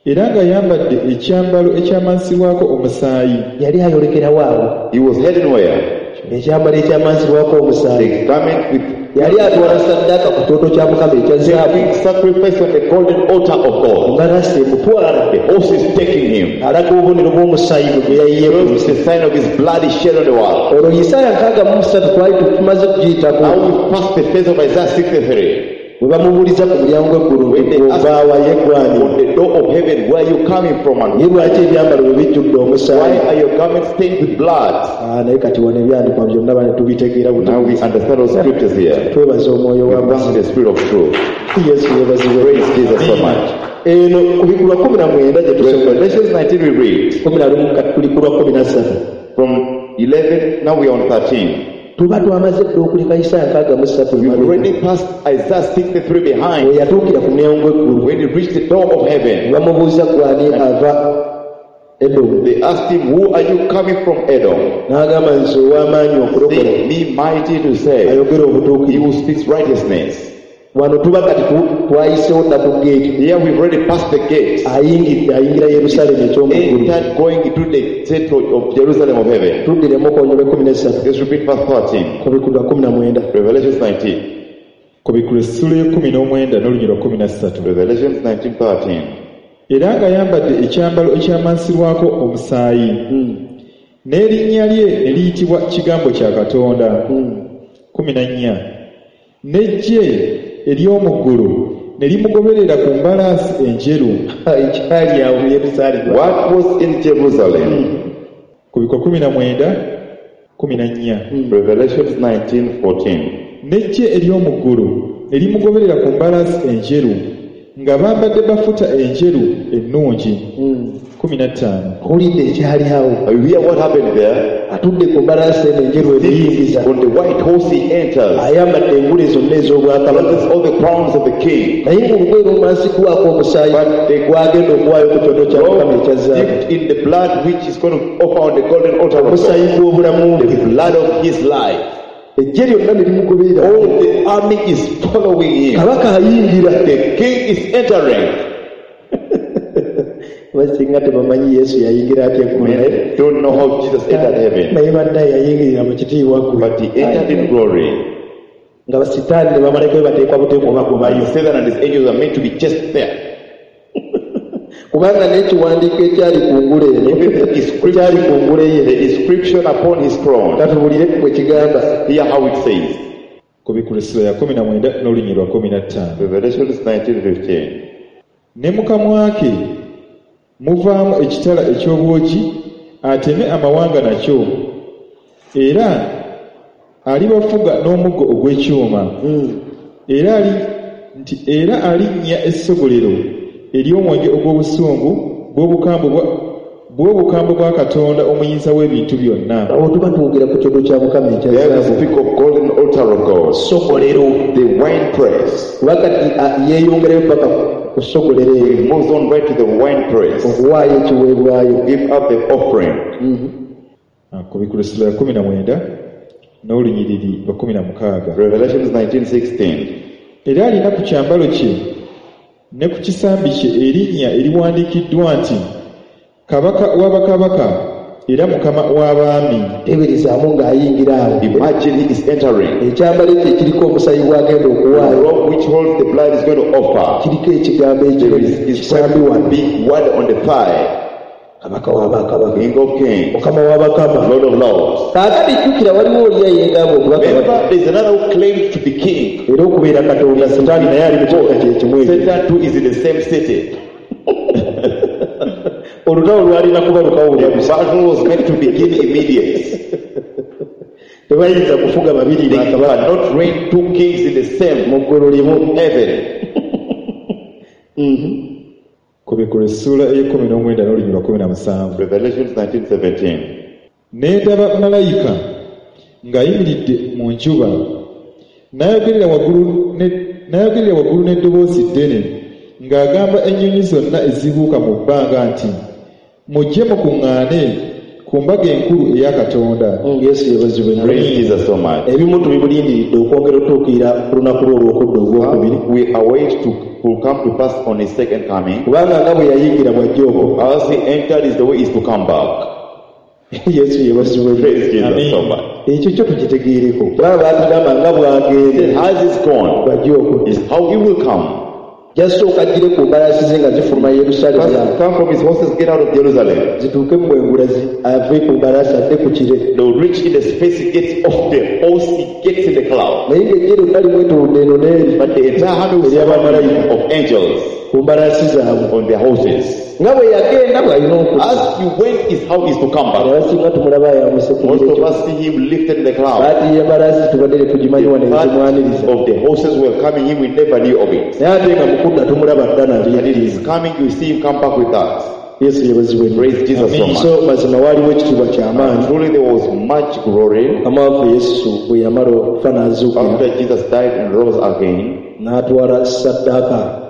Era ng'ayambadde ekyambalo ekyamansibwako omusaayi. Yali ayolekerawo awo. He was heading where? Ekyambalo ekyamansibwako omusaayi. The garment with Yali atwala saddaaka ku kyoto kya Mukama ekya zaabu. Taking sacrifice on the golden altar of God. Embalaasi emutwala. The horse is taking him. Alaga obubonero bw'omusaayi gwe gwe yayiye ku Shows nsi. the sign of his blood is shed on the world. Olwo Isaaya nkaaga mu ssatu twali tumaze kugiyitako. Now we pass the phase of Isaiah sixty-three. Bwe bamubuuliza ku mulyango gw'eggulu When they ask ovaawa ye gwani. on the door of heaven, where are you coming from and Ye lwaki ebyambalo bwe bijjudde omusaayi? why are your garments stained with blood? Ah, naye kati wano ebyandikwa byonna bane tubitegeera Now we butegeezi. understand all scriptures here. Twebaza omwoyo We wa thank mazima. the Spirit of truth. Yesu yeebazibwe. Praise Jesus so much. Eno kubikulwa kumi na mwenda gye tusoma. Revelations nineteen we read Kumi na lumu kati tuli ku lwa kumi na ssatu. from eleven, now we are on thirteen. Tuba twamaze dda okuleka Isaaya nkaaga mu ssatu We've emabega. already passed Isaiah sixty-three behind. We yatuukira ku mulyango gw'eggulu. When he reached the door of heaven, Bamubuuza gwani ava Edomu. they asked him, who are you coming from Edom? N'agamba nze ow'amaanyi okulokola. Say me mighty to save. Ayogera He obutuukirivu. who speaks righteousness. Wano tuba kati tu- twayiseewo dda ku geeti. Here we've already passed the gate. Ayingidde ayingira Yerusaalemi eky'omu ggulu. Entered going into the central of Jerusalem of heaven. Tuddiremu okwonyola ekkumi n'essatu. Let's repeat verse thirteen. Kubikulwa kumi na mwenda. Revelations nineteen. Kubikulwa essula y'ekkumi n'omwenda n'olunyiriri lwa kkumi na ssatu. Revelations nineteen thirteen. Era ng'ayambadde ekyambalo ekyamansirwako omusaayi. N'erinnya lye ne liyitibwa Kigambo kya Katonda. Kkumi na nnya. N'eggye ery'omu ggulu ne limugoberera ku mbalaasi enjeru. Ekyali awo mu Yerusaalemi. What was in Jerusalem? Kubikulwa kumi na mwenda, kkumi na nnya. Revelations nineteen fourteen. N'eggye ery'omu ggulu ne limugoberera ku mbalaasi enjeru nga bambadde bafuta enjeru ennungi. Kkumi na ttaano. Owulidde ekyali awo. You hear what happened there? Atudde ku mbalaasi eno enjeru emuyingiza. On the white horse he enters. Ayambadde engule zonna ez'obwakabaka. Possesses all the crowns of the king. Naye ng'olugoye lumansiddwako omusaayi gw'agenda okuwaayo ku kyoto kya Mukama ekya zaabu. Dipped in the blood which is going to offer on the golden altar of God. Omusaayi gw'obulamu bwe. The blood of his life. Eggye lyonna ne limugoberera. All the army is following him. Kabaka ayingira. The king is entering. Basinga tebamanyi Yesu yayingira atya eggulu. Men don't know how Jesus entered heaven. Naye bannaye yayingirira mu kitiibwa ggwe. But he entered in glory. Nga basitaani ne bamalayika be bateekwa buteekwa bagobayo. Satan and his angels are meant to be just there. Kubanga n'ekiwandiiko ekyali ku ngule eno, ekyali ku ngule ye, The inscription upon his throne. Katuwulire bwe kigamba. Hear how it says. Kubikulwa essula ya kkumi na mwenda n'olunyiriri lwa kkumi na ttaano. Revelations nineteen fifteen. Ne mu kamwa ke muvaamu ekitala eky'obwogi ateme amawanga nakyo, era alibafuga n'omuggo ogw'ekyuma. Era ali nti era alinnya essogolero ery'omwenge ogw'obusungu bw'obukambwe bwa bw'obukambwe bwa Katonda omuyinza w'ebintu byonna. Awo tuba twogera ku kyoto kya Mukama ekya There we zaabu. speak of golden altar of God. Ssogolero. The wine press. Kuba kati, a, yeeyongerayo paka ku ssogolero eryo. He moves on right to the wine press. Okuwaayo ekiweebwayo. Give up the offering. Ah, Kubikulwa essula ya kkumi na mwenda n'olunyiriri lwa kkumi na mukaaga. Revelations nineteen sixteen. Era alina ku kyambalo kye ne ku kisambi kye erinnya eriwandiikiddwa nti Kabaka w'abakabaka era Mukama w'abaami. Teeberezaamu ng'ayingira awo. Imagine he is entering. Ekyambalo ekyo ekiriko omusaayi gw'agenda okuwaayo. The robe which holds the blood is going to offer. Kiriko ekigambo ekyo There is his kisambi wano. big word on the thigh. Kabaka w'abakabaka. King of kings. Mukama w'abakama. Lord of lords. Kaakati jjukira waliwo oli eyeegamba okuba kabaka. Remember, there is another who claimed to be king. Era okubeera Katonda, Setaani naye ali mu kibuga kye kimu ekyo. Satan too is in the same city. Olutalo lwalina kubalukawo buli The busa. battle was meant to begin immediately. Tebayinza kufuga babiri They bakabaka. cannot reign two kings in the same Mu ggulu limu. heaven. Kubikulwa essuula ey'ekkumi n'omwenda n'olunyiriri lwa kkumi na musanvu. Revelations nineteen seventeen. Ne ndaba malayika ng'ayimiridde mu njuba, n'ayogerera waggulu ne, n'ayogerera waggulu n'eddoboozi ddene, ng'agamba ennyonyi zonna ezibuuka mu bbanga nti, mujje mukuŋŋaane ku mbaga enkulu eya Katonda. Mm, Yesu yeebazibwe nnyo. Praise Jesus so much. Ebimu tubimulindiridde okwongera otuukirira ku lunaku lwe olw'okudda ogwokubiri. We await to will come to pass on his second coming. Kubanga nga bwe yayingira bw'ajja okwo. As he entered is the way is to come back. Yesu yeebazibwe. Praise Jesus Amen. so much. Ekyo kyo tukitegeereko kubanga baatugamba nga bw'agenda As he's gone, bw'ajja okudda is how he will come. Jasooka aggire ku mbalaasi ze nga zifuluma Yerusaalemi First, come from his horses, get out of Jerusalem. Zituuke mu bwengula zi- ave ku mbalaasi adde ku kire. They will reach in the space, he gets off the horse, he gets in the cloud. Naye ng'eggye lyonna limwetoolodde eno n'eri But the entire army will ery'abamalayika of angels ku mbalaasi zaabwe on their horses. Nga bwe yagenda bw'alina okudda. As he went is how he's to come back. Abasinga tumulaba ayambuse ku Most bire of ekyo. us see him lifted in the cloud. Baatiye embalaasi tubadde tetugimanyi wano The ezimwaniriza. part of the horses were coming in, we never knew of it. Naye ate nga mu kudda tumulaba dda And nabyo. it is coming, you see him come back with that. Yesu yeebazibwe nnyo. Praise Jesus so much. So mazima waaliwo ekitiibwa ky'amaanyi. Truly there was much glory Mukama waffe Yesu bwe yamala okufa n'azuukira after Jesus died and rose again. N'atwala ssaddaaka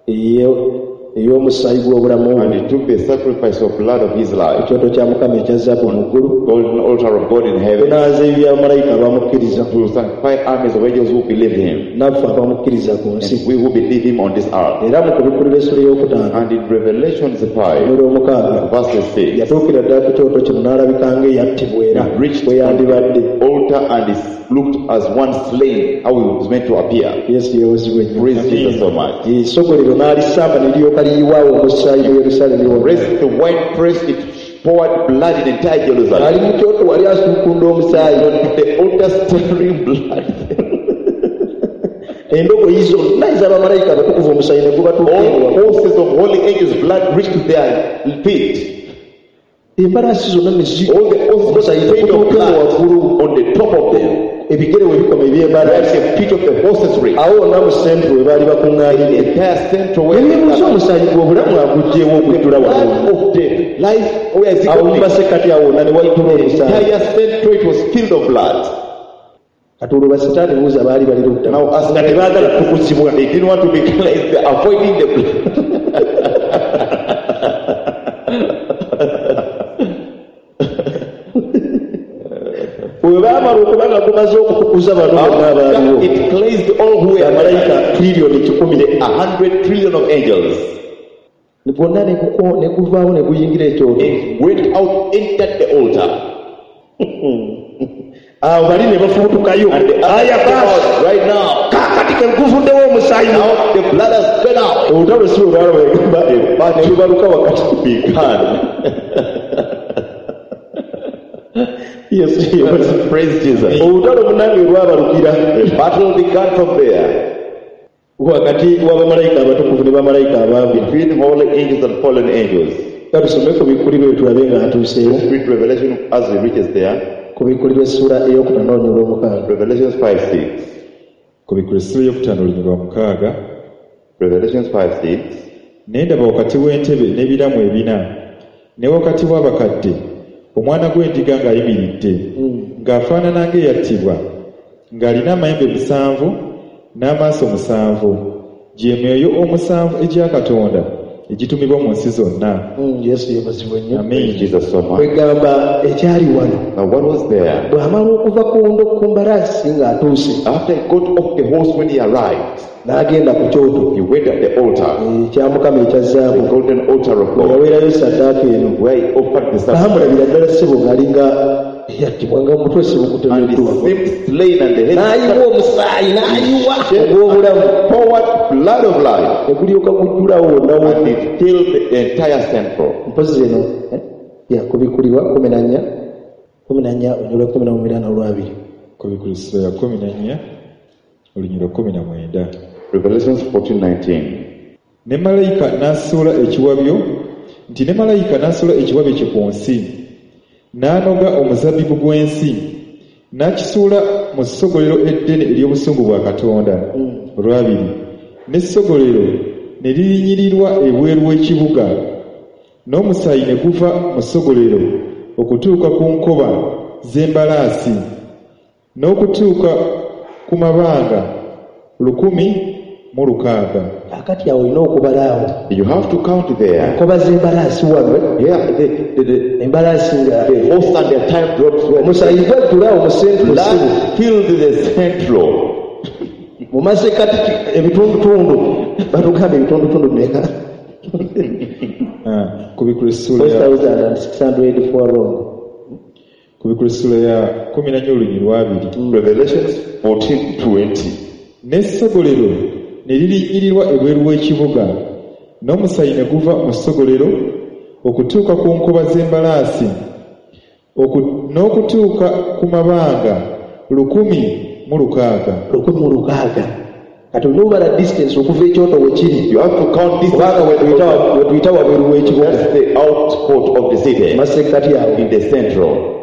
eye- ey'omusaayi gw'obulamu And bwe he took the sacrifice of blood of his life, ekyoto kya Mukama ekya zaabu mu ggulu golden altar of God in heaven, kunaaza ebibi by'abamalayika abamukkiriza to sanctify armies of angels who believed him, naffe abamukkiriza ku nsi. And we who believe him on this earth. Era mu kubikkulira essula ey'okutaano And in Revelations five, n'olwomukaaga verses six, yatuukira ddala ku kyoto kino n'alabika ng'eyattibwa era reached bwe yandibadde. the altar and he looked as one slain, how he was meant to appear. Yesu yeewozibwe nnyo. Praise Jesus so much. Essogolero n'alisamba ne liryoka liyiwaawo omusaayi mu Yerusaalemi wonna. Pressed the wine press, it poured blood in entire Jerusalem. Ali mu kyoto wali asuukunda omusaayi. The altar staring blood. Endogoyi zonna ez'abamalayika abatukuvu omusaayi ne gubatuuka All horses of holy angels' blood reached their feet. Embalaasi zonna ne zi All the horses omusaayi were made of gutuuka blood waggulu on the top of them. Ebigere we bikoma eby'embalaasi Where the feet of the horses reached. Awo wonna mu centro we baali The bakuŋŋaanidde entire central where nebibuuza the omusaayi gw'obulamu aguggyewo okujjula wano blood of the life, where is it awo mu going? masekkati awo wonna ne wajjula The omusaayi. entire central, it was filled of blood. Kati olwo basitaani buuza baali bali ludda Now as nga tebaagala kutukuzibwa. They didn't want to be cleansed, they're avoiding the blood. Bwe baamala okuba nga gumaze okutukuza bano bonna abaaliwo After it cleansed all who were bamalayika triliyoni kikumi a hundred trillion of angels. Gwonna ne guko- ne guvaawo ne guyingira ekyoto. It went out, entered the altar. Awo bali ne bafubutukayo And the aya others came baasi out right now. kaakati ke guvuddewo omusaayi. Now the blood has gone out. Olutalo si lwe lwalaba ne lubaluka wakati. Began. Yesu yeebazibwe. Praise Jesus. Olutalo munnange lwabalukira The battle began from there. Wakati w'abamalayika abatukuvu ne bamalayika abaabi. Between holy angels and fallen angels. Ka tusome ku bikkulirwa tulabe ng'atuuseewo. Read Revelation as he reaches there. Ku bikkulirwa essula ey'okutaano olunyiriri olw'omukaaga. Revelations five six. Kubikkulirwa essula ey'okutaano olunyiriri lwa mukaaga. Revelations five six. Ne ndaba wakati w'entebe n'ebiramu ebina ne wakati w'abakadde omwana gw'endiga ng'ayimiridde ng'afaanana ng'eyattibwa ng'alina amayembe musanvu n'amaaso musanvu gye myoyo omusanvu egya Katonda egitumibwa mu nsi zonna. Mm, Yesu yeebazibwe nnyo. Amiina. Jesus so much. Kwegamba ekyali wano Now what was there? bw'amala okuva ku ndo ku mbalaasi ng'atuuse After he got off the horse when he arrived, n'agenda ku kyoto he went at the altar, ekya Mukama ekya the zaabu golden altar of God, yaweerayo saddaaka eno. Where he offered the sacrifice. Baamulabira ddala ssebo ng'alinga eyattibwa nga omutwe And he sibukutemeddwa seemed slain and the head n'ayiwa omusaayi n'ayiwa ogw'obulamu poured blood of life. Ne gulyoka gujjulawo wonna And wonna. it filled the entire central. Mpozi eno eh, ya kubikkulirwa kumi na nnya kumi na nnya olunyiriri lwa kumi na mwenda n'olwabiri. Kubikkulirwa essula ya kumi na nnya olunyiriri lwa kumi na mwenda. Revelations fourteen nineteen. Ne malayika n'asuula ekiwabyo nti ne malayika n'asuula ekiwabyo kye ku nsi n'anoga omuzabbibu gw'ensi n'akisuula mu ssogolero eddene ery'obusungu bwa Katonda. Olwabiri n'essogolero ne lirinyirirwa ebweru w'ekibuga n'omusaayi ne guva mu ssogolero okutuuka ku nkoba z'embalaasi n'okutuuka ku mabanga lukumi mu lukaaga. Kaakati awo olina okubala awo. You have to count there. Enkoba z'embalaasi wano Yeah, the, the, the, embalaasi nga the horse and their time drops were omusaayi gwajjula awo mu centro ssebo. Blood filled the central. Mu masekkati ebitundutundu batugamba ebitundutundu bimeka? Ah, kubikkulirwa essula ya four thousand six hundred four wrong. Kubikula essula ya kkumi na nnya olunyiriri lw'abiri. Revelations fourteen twenty. N'essogolero ne lirinnyirirwa ebweru w'ekibuga, n'omusaayi ne guva mu ssogolero okutuuka ku nkoba z'embalaasi, oku-, n'okutuuka ku mabanga lukumi mu lukaaga. Lukumi mu lukaaga. Kati olina obala distance okuva ekyoto we kiri. You have to count distance. Kubanga we tuyita wa-, we tuyita wabweru w'ekibuga. That's the outport of the city. Masekkati awo. In the central.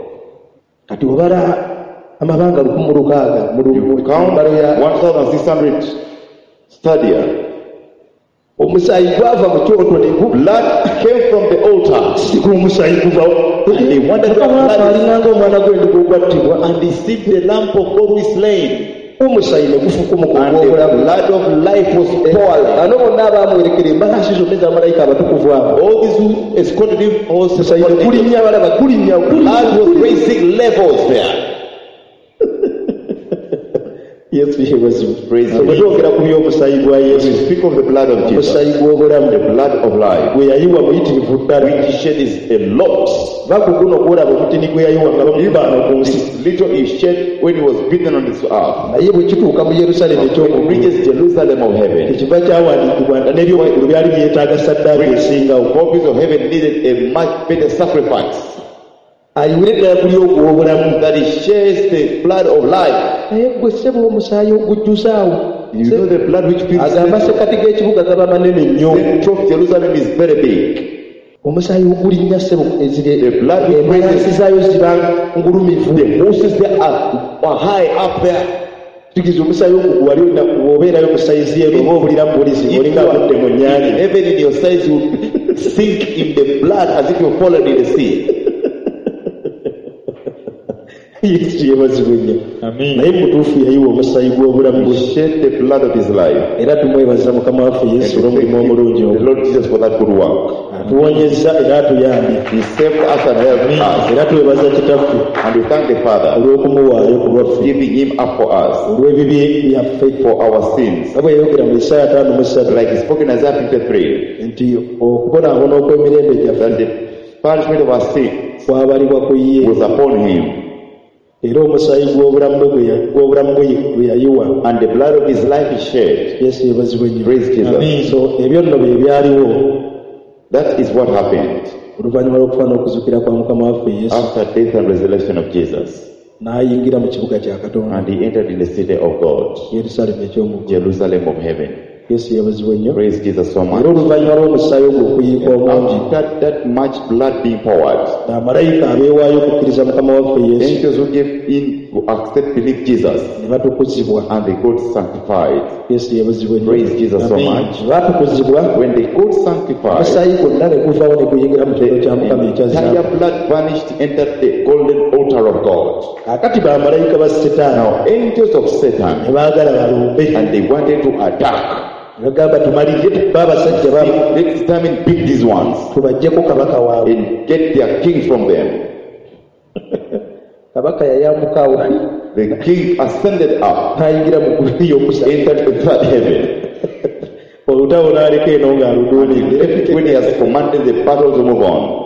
Kati obala amabanga lukumi mu lukaaga mu lu-, You mu count mbalo ya one thousand six hundred stadia. Omusaayi gwava mu kyoto ne gu- Blood came from the altar. Si ku omusaayi guva. And they wondered where Mukama blood is. alinganga omwana gw'endiga ogwattibwa. And they see the lamb of God who is slain. Omusaayi ne gufukumuka And the ogw'obulamu. blood of life was poured. Bano bonna abaamuwerekera embalaasi zonna eza malayika abatukuvu abo. All these who escorted him also Omusaayi ne gulinnya balaba, gulinnya, gulinnya, Blood was gulinnya. raising levels there. Yesu yeebazibwe. Praise Bwe the Lord. twogera ku by'omusaayi gwa Yesu, We speak of the blood of Jesus. omusaayi gw'obulamu, The blood of life, gwe yayiwa muyitirivu ddala. which he shed is a lot. Va ku guno gw'olaba omutini gwe yayiwa nga bamukubaana ku nsi. This little he shed when he was beaten on this earth. Naye bwe kituuka mu Yerusaalemi When it eky'omu ggulu, reaches Jerusalem of heaven, ekiva kyawandiikibwa nga n'eby'omu ggulu byali byetaaga ssaddaaka esingawo. Copies of heaven needed a much better sacrifice. Ayiwire ddala kuli ogw'obulamu. That he shares the blood of life. Naye ggwe ssebo omusaayi ogujjuzaawo. You know the blood which fills Agamba ssekati g'ekibuga gaba manene nnyo. The central of Jerusalem is very big. Omusaayi ogulinnya ssebo ezire The blood which embalaasi raises zaayo ziba ngulumivu. The horses there are, are high up there. Tugize omusaayi ogwo wali olina bw'obeerayo ku sayizi eno oba obulira mu bulizi, If olinga you are agudde mu nnyanja. Even in your size, you sink in the blood as if you fallen in the sea. Yesu yeebazibwe nnyo. Amiina. Naye mu butuufu yayiwa omusaayi gw'obulamu bwe. He shed the blood of his life. Era tumwebaza Mukama waffe Yesu And we olw'omulimu thank omulungi the ogwo. Lord Jesus for that good work. Atuwonyezza era atuyambye. He saved us and helped us. Era twebaza Kitaffe And we thank the Father olw'okumuwaayo ku lwaffe. giving him up for us. Olw'ebibi byaffe. For our sins. Nga bwe yayogera mu Isaaya ataano mu ssatu. Like he spoke in Isaiah fifty-three. Nti okubonaabona okw'emirembe gyaffe That the punishment of our sin kwabalibwa ku ye. was upon him. Era omusaayi gw'obulamu bwe gwe ya-, gw'obulamu bwe gwe yayiwa. And the blood of his life is shed. Yesu yeebazibwe nnyo. Praise Jesus. Amen. So ebyo nno bye byaliwo. That is what happened. Oluvannyuma lw'okufa n'okuzuukira kwa Mukama waffe Yesu. After death and resurrection of Jesus. N'ayingira mu kibuga kya Katonda. And he entered in the city of God. Yerusaalemi eky'omu ggulu. Jerusalem of heaven. Yesu yeebazibwe nnyo. Praise Jesus so much. Era oluvannyuma lw'omusaayi ogwo okuyiika omungi. After that much blood being poured, Bamalayika abeewaayo okukkiriza Mukama waffe Yesu. Angels who gave in to accept, believe Jesus. Ne batukuzibwa. And they got sanctified. Yesu yeebazibwe nnyo. Praise Jesus so Amen. much. Baatukuzibwa. When they got sanctified, omusaayi gwonna ne guvaawo ne guyingira mu kifo kya Mukama the ekya entire zaabu. blood vanished, entered the golden altar of God. Kaakati bamalayika ba Setaani. Now angels of Satan, ne baagala balumbe. And they wanted to attack. Bagamba tumalirire tukube abasajja babo. Let's come and pick these ones. Tubaggyeko kabaka waabwe. And get their king from them. Kabaka yayambuka awo. The king ascended up. N'ayingira mu ggulu ery'okusatu. Entered the third heaven. Olutalo n'aleka eno ng'aluduumidde. When he has commanded the battle to move on.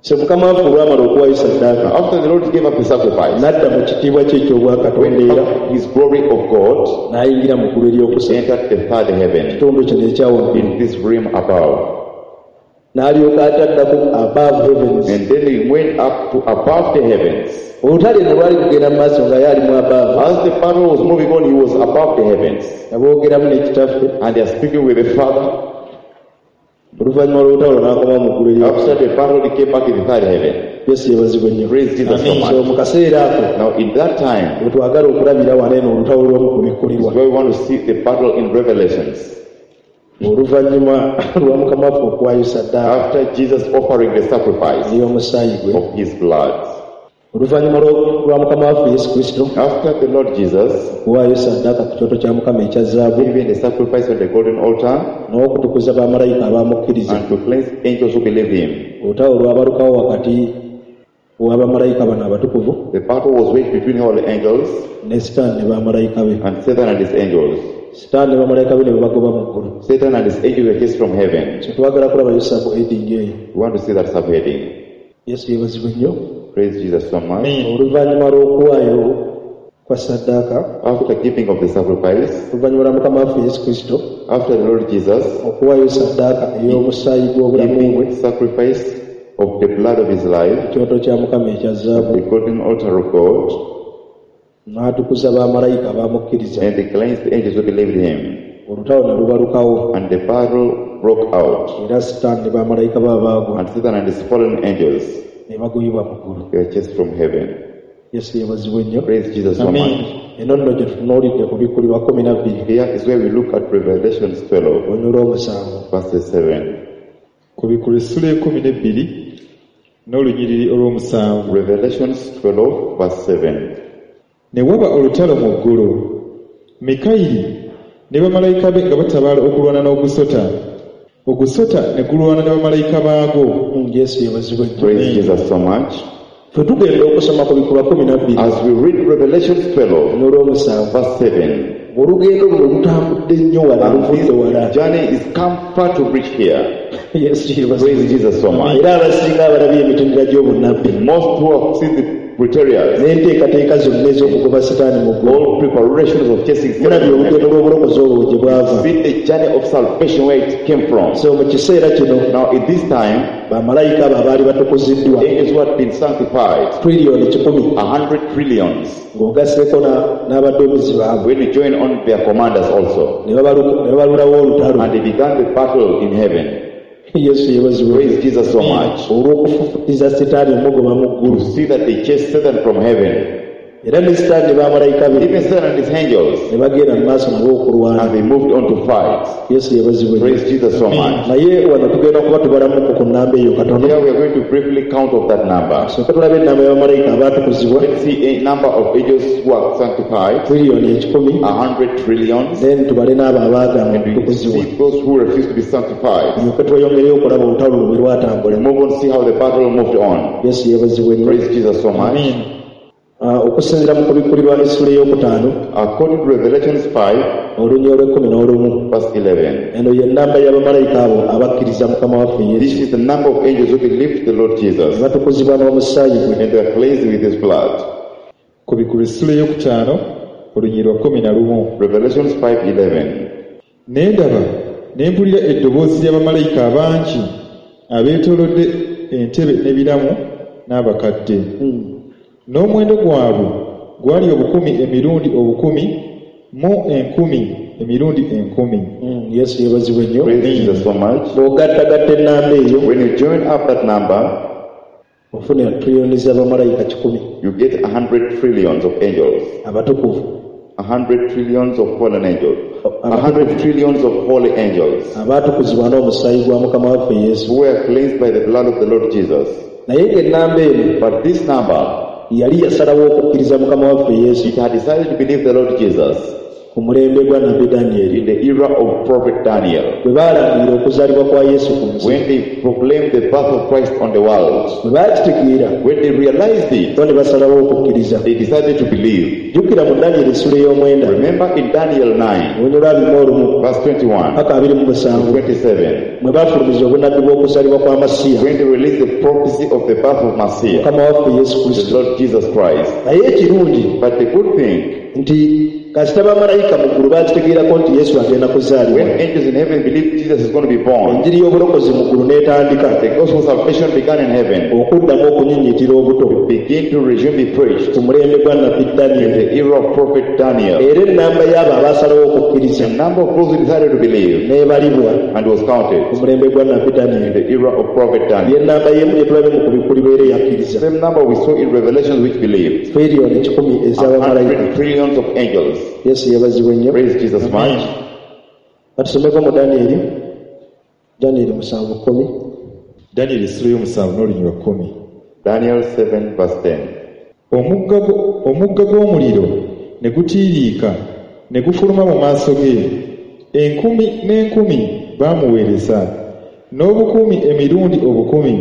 So Mukama waffe olwamala okuwaayo ssaddaaka, After the Lord gave up the sacrifice, n'adda mu kitiibwa kye eky'obwakatonda went era up his glory of God, n'ayingira mu ggulu ery'okusatu. entered the third heaven. Ekitundu kino ekya waggulu. In this realm above. N'alyoka ataddako above heavens. And then he went up to above the heavens. Olutalo eno lwali lugenda mu maaso nga ye ali mu above. As the battle was moving on, he was above the heavens. Nga boogeramu ne Kitaffe. And they are speaking with the Father. Oluvannyuma lw'olutalo n'akomawo mu ggulu ery'okusatu. After the battle, he came back in the third heaven. Yesu yeebazibwe nnyo. Praise Jesus so Amen. much. So mu kaseera ako, Now in that time, we twagala okulabira wano eno olutalo lw'omukubikkulirwa. is where we want to see the battle in Revelations. Oluvannyuma lwa Mukama waffe okuwaayo ssaddaaka After Jesus offering the sacrifice ey'omusaayi gwe. of his blood. Oluvannyuma lwa, lwa Mukama waffe Yesu Kristo After the Lord Jesus okuwaayo ssaddaaka ku kyoto kya Mukama ekya zaabu giving the sacrifice on the golden altar n'okutukuza bamalayika abamukkiriza. and to cleanse angels who believe him. Olutalo lwabalukawo wakati w'abamalayika bano abatukuvu The battle was waged between holy angels ne Sitaani ne bamalayika be. and Satan and his angels. Sitaani ne bamalayika be ne babagoba mu ggulu. Satan and his angels were chased from heaven. So twagala kulabayo subheading eyo. We want to see that subheading. Yesu yeebazibwe nnyo. Praise Jesus so much. Oluvannyuma lw'okuwaayo kwa ssaddaaka, After giving of the sacrifice, oluvannyuma lwa Mukama waffe Yesu Kristo after the Lord Jesus okuwaayo ssaddaaka ey'omusaayi gw'obulamu bwe, giving sacrifice of the blood of his life, ekyoto kya Mukama ekya zaabu, the golden altar of God, n'atukuza bamalayika abamukkiriza, and he cleansed the angels who believed him, olutalo ne lubalukawo, and the battle broke out, era Sitaani ne bamalayika be abaagwa and Satan and his fallen angels ne bagoyibwa mu ggulu. they were chased from heaven. Yesu yeebazibwe nnyo. Praise Jesus so Amen. much. Eno nno gye tutunuulidde ku Bikkulirwa kkumi na bbiri Here is where we look at Revelations twelve, olunyiriri olw'omusanvu. verses seven. Kubikkulwa essula ekkumi n'ebbiri n'olunyiriri olw'omusanvu. Revelations twelve, verse seven. Ne waba olutalo mu ggulu, Mikayiri ne bamalayika be nga batabaala okulwana n'ogusota. Ogusota ne gulwana ne bamalayika baagwo. Mm, Yesu yeebazibwe nnyo. Praise Jesus so much. Ffe tugenda okusoma ku Bikkulwa kkumi na bbiri As we read Revelations twelve, olunyiriri olw'omusanvu, verse seven, olugendo luno lutambudde nnyo wala, and luvudde wala. this journey is come far to reach here. Yesu yeebazibwe. Praise Jesus so much. Era abasinga abalabye emitendera gy'obunnabbi Most who have seen the preteriors, n'enteekateeka zonna ez'okugoba Sitaani mu ggulu, all preparations of chasing mulabye Satan, olugendo lw'obulokozi olwo gye bwava. see the journey of salvation where it came from. So mu kiseera kino Now, at this time, bamalayika abo abaali batukuziddwa angels who had been sanctified, triliyoni kikumi a hundred trillions, ng'ogasseeko na- n'abaduumizi baabwe when you join on their commanders also, ne babalu- ne babalulawo olutalo. and they began the battle in heaven. Yesu yeebazibwe. Praise Jesus so much. Olw'okufufutiza Sitaani omugoba mu ggulu, To see that they chased Satan from heaven, era ne Sitaani ne bamalayika be even Satan and his angels, ne bagenda mu maaso nabo okulwana. and they moved on to fight. Yesu yeebazibwe. Praise Jesus so much. Naye wano tugenda kuba tubalamuko ku nnamba eyo katono. Here we are going to briefly count of that number. Sooka tulabe ennamba y'abamalayika abaatukuzibwa, Let's see a number of angels who are sanctified, triliyoni ekikumi, a hundred trillions, then tubale n'abo abaagaana and we okutukuzibwa, see those who refuse to be sanctified. tulyoke tweyongereyo okulaba olutalo lwe bwe lwatambula. Move on, see how the battle moved on. Yesu yeebazibwe nnyo. Praise Jesus so much. Amen. Ah, okusinziira mu Kubikkulirwa essula ey'okutaano According to Revelations five, olunyiriri olw'ekkumi n'olumu, verse eleven, eno ye nnamba y'abamalayika abo abakkiriza Mukama waffe Yesu, this is the number of angels who believed the Lord Jesus ne batukuzibwa n'omusaayi gwe. and they are cleansed with his blood. Kubikkulwa essula ey'okutaano olunyiriri lwa kkumi na lumu. Revelations five eleven. Ne ndaba ne mpulira eddoboozi ly'abamalayika abangi abeetoolodde entebe n'ebiramu n'abakadde. N'omuwendo gwabwe gwali obukumi emirundi obukumi mu enkumi emirundi enkumi. Mm, Yesu yeebazibwe nnyo. Praise Jesus so much. Bw'ogattagatta ennamba eyo, When you join up that number, ofuna triliyoni z'abamalayika kikumi you get a hundred trillions of angels, abatukuvu, a hundred trillions of fallen angels, a hundred trillions of holy angels abaatukuzibwa n'omusaayi gwa Mukama waffe Yesu. who were cleansed by the blood of the Lord Jesus. Naye ng'ennamba eno But this number, yali yasalawo okukkiriza Mukama waffe Yesu it had decided to believe the Lord Jesus ku mulembe gwa Nabbi Danyeri, in the era of Prophet Daniel, bwe baalangirira okuzaalibwa kwa Yesu ku nsi, when they proclaimed the birth of Christ on the world. bwe baakitegeera When they realized it, bo ne basalawo okukkiriza. they decided to believe. Jjukira mu Danyeri essula ey'omwenda Remember in Daniel nine, olunyiriri lwa abiri mu olumu verse twenty-one paka abiri mu to musanvu, twenty-seven, mwe baafulumiza obunnabbi bw'okuzaalibwa kwa Masiya, when they released the prophecy of the birth of Messiah, Mukama waffe Yesu the Kristo. Lord Jesus Christ. Naye ekirungi But the good thing, nti kasita bamalayika mu ggulu baakitegeerako nti Yesu agenda kuzaalibwa, when angels in heaven believed Jesus is going to be born, enjiri y'obulokozi mu ggulu n'etandika the gospel of salvation began in heaven, okuddamu okunyinyitira obuto begin to resume be preached ku mulembe gwa Nabbi in Danyeri. the era of Prophet Daniel. Era ennamba y'abo abaasalawo okukkiriza The number of those who decided to believe n'ebalibwa and was counted ku mulembe gwa Nabbi in Danyeri. the era of Prophet Daniel. Y'ennamba y'emu gye tulabye mu Kubikkulirwa era eyakkiriza, Same number we saw in Revelations which believed. triliyoni kikumi A ez'abamalayika. hundred trillions of angels. Yesu yeebazibwe nnyo. Praise Jesus much. Batusomeko mu Danyeri, Danyeri musanvu kkumi. Danyeri essula y'omusanvu n'olunyiriri lwa kkumi. Daniel seven verse ten. Omugga gwo- omugga gw'omuliro ne gutiiriika ne gufuluma mu maaso ge. Enkumi n'enkumi baamuweereza, n'obukumi emirundi obukumi,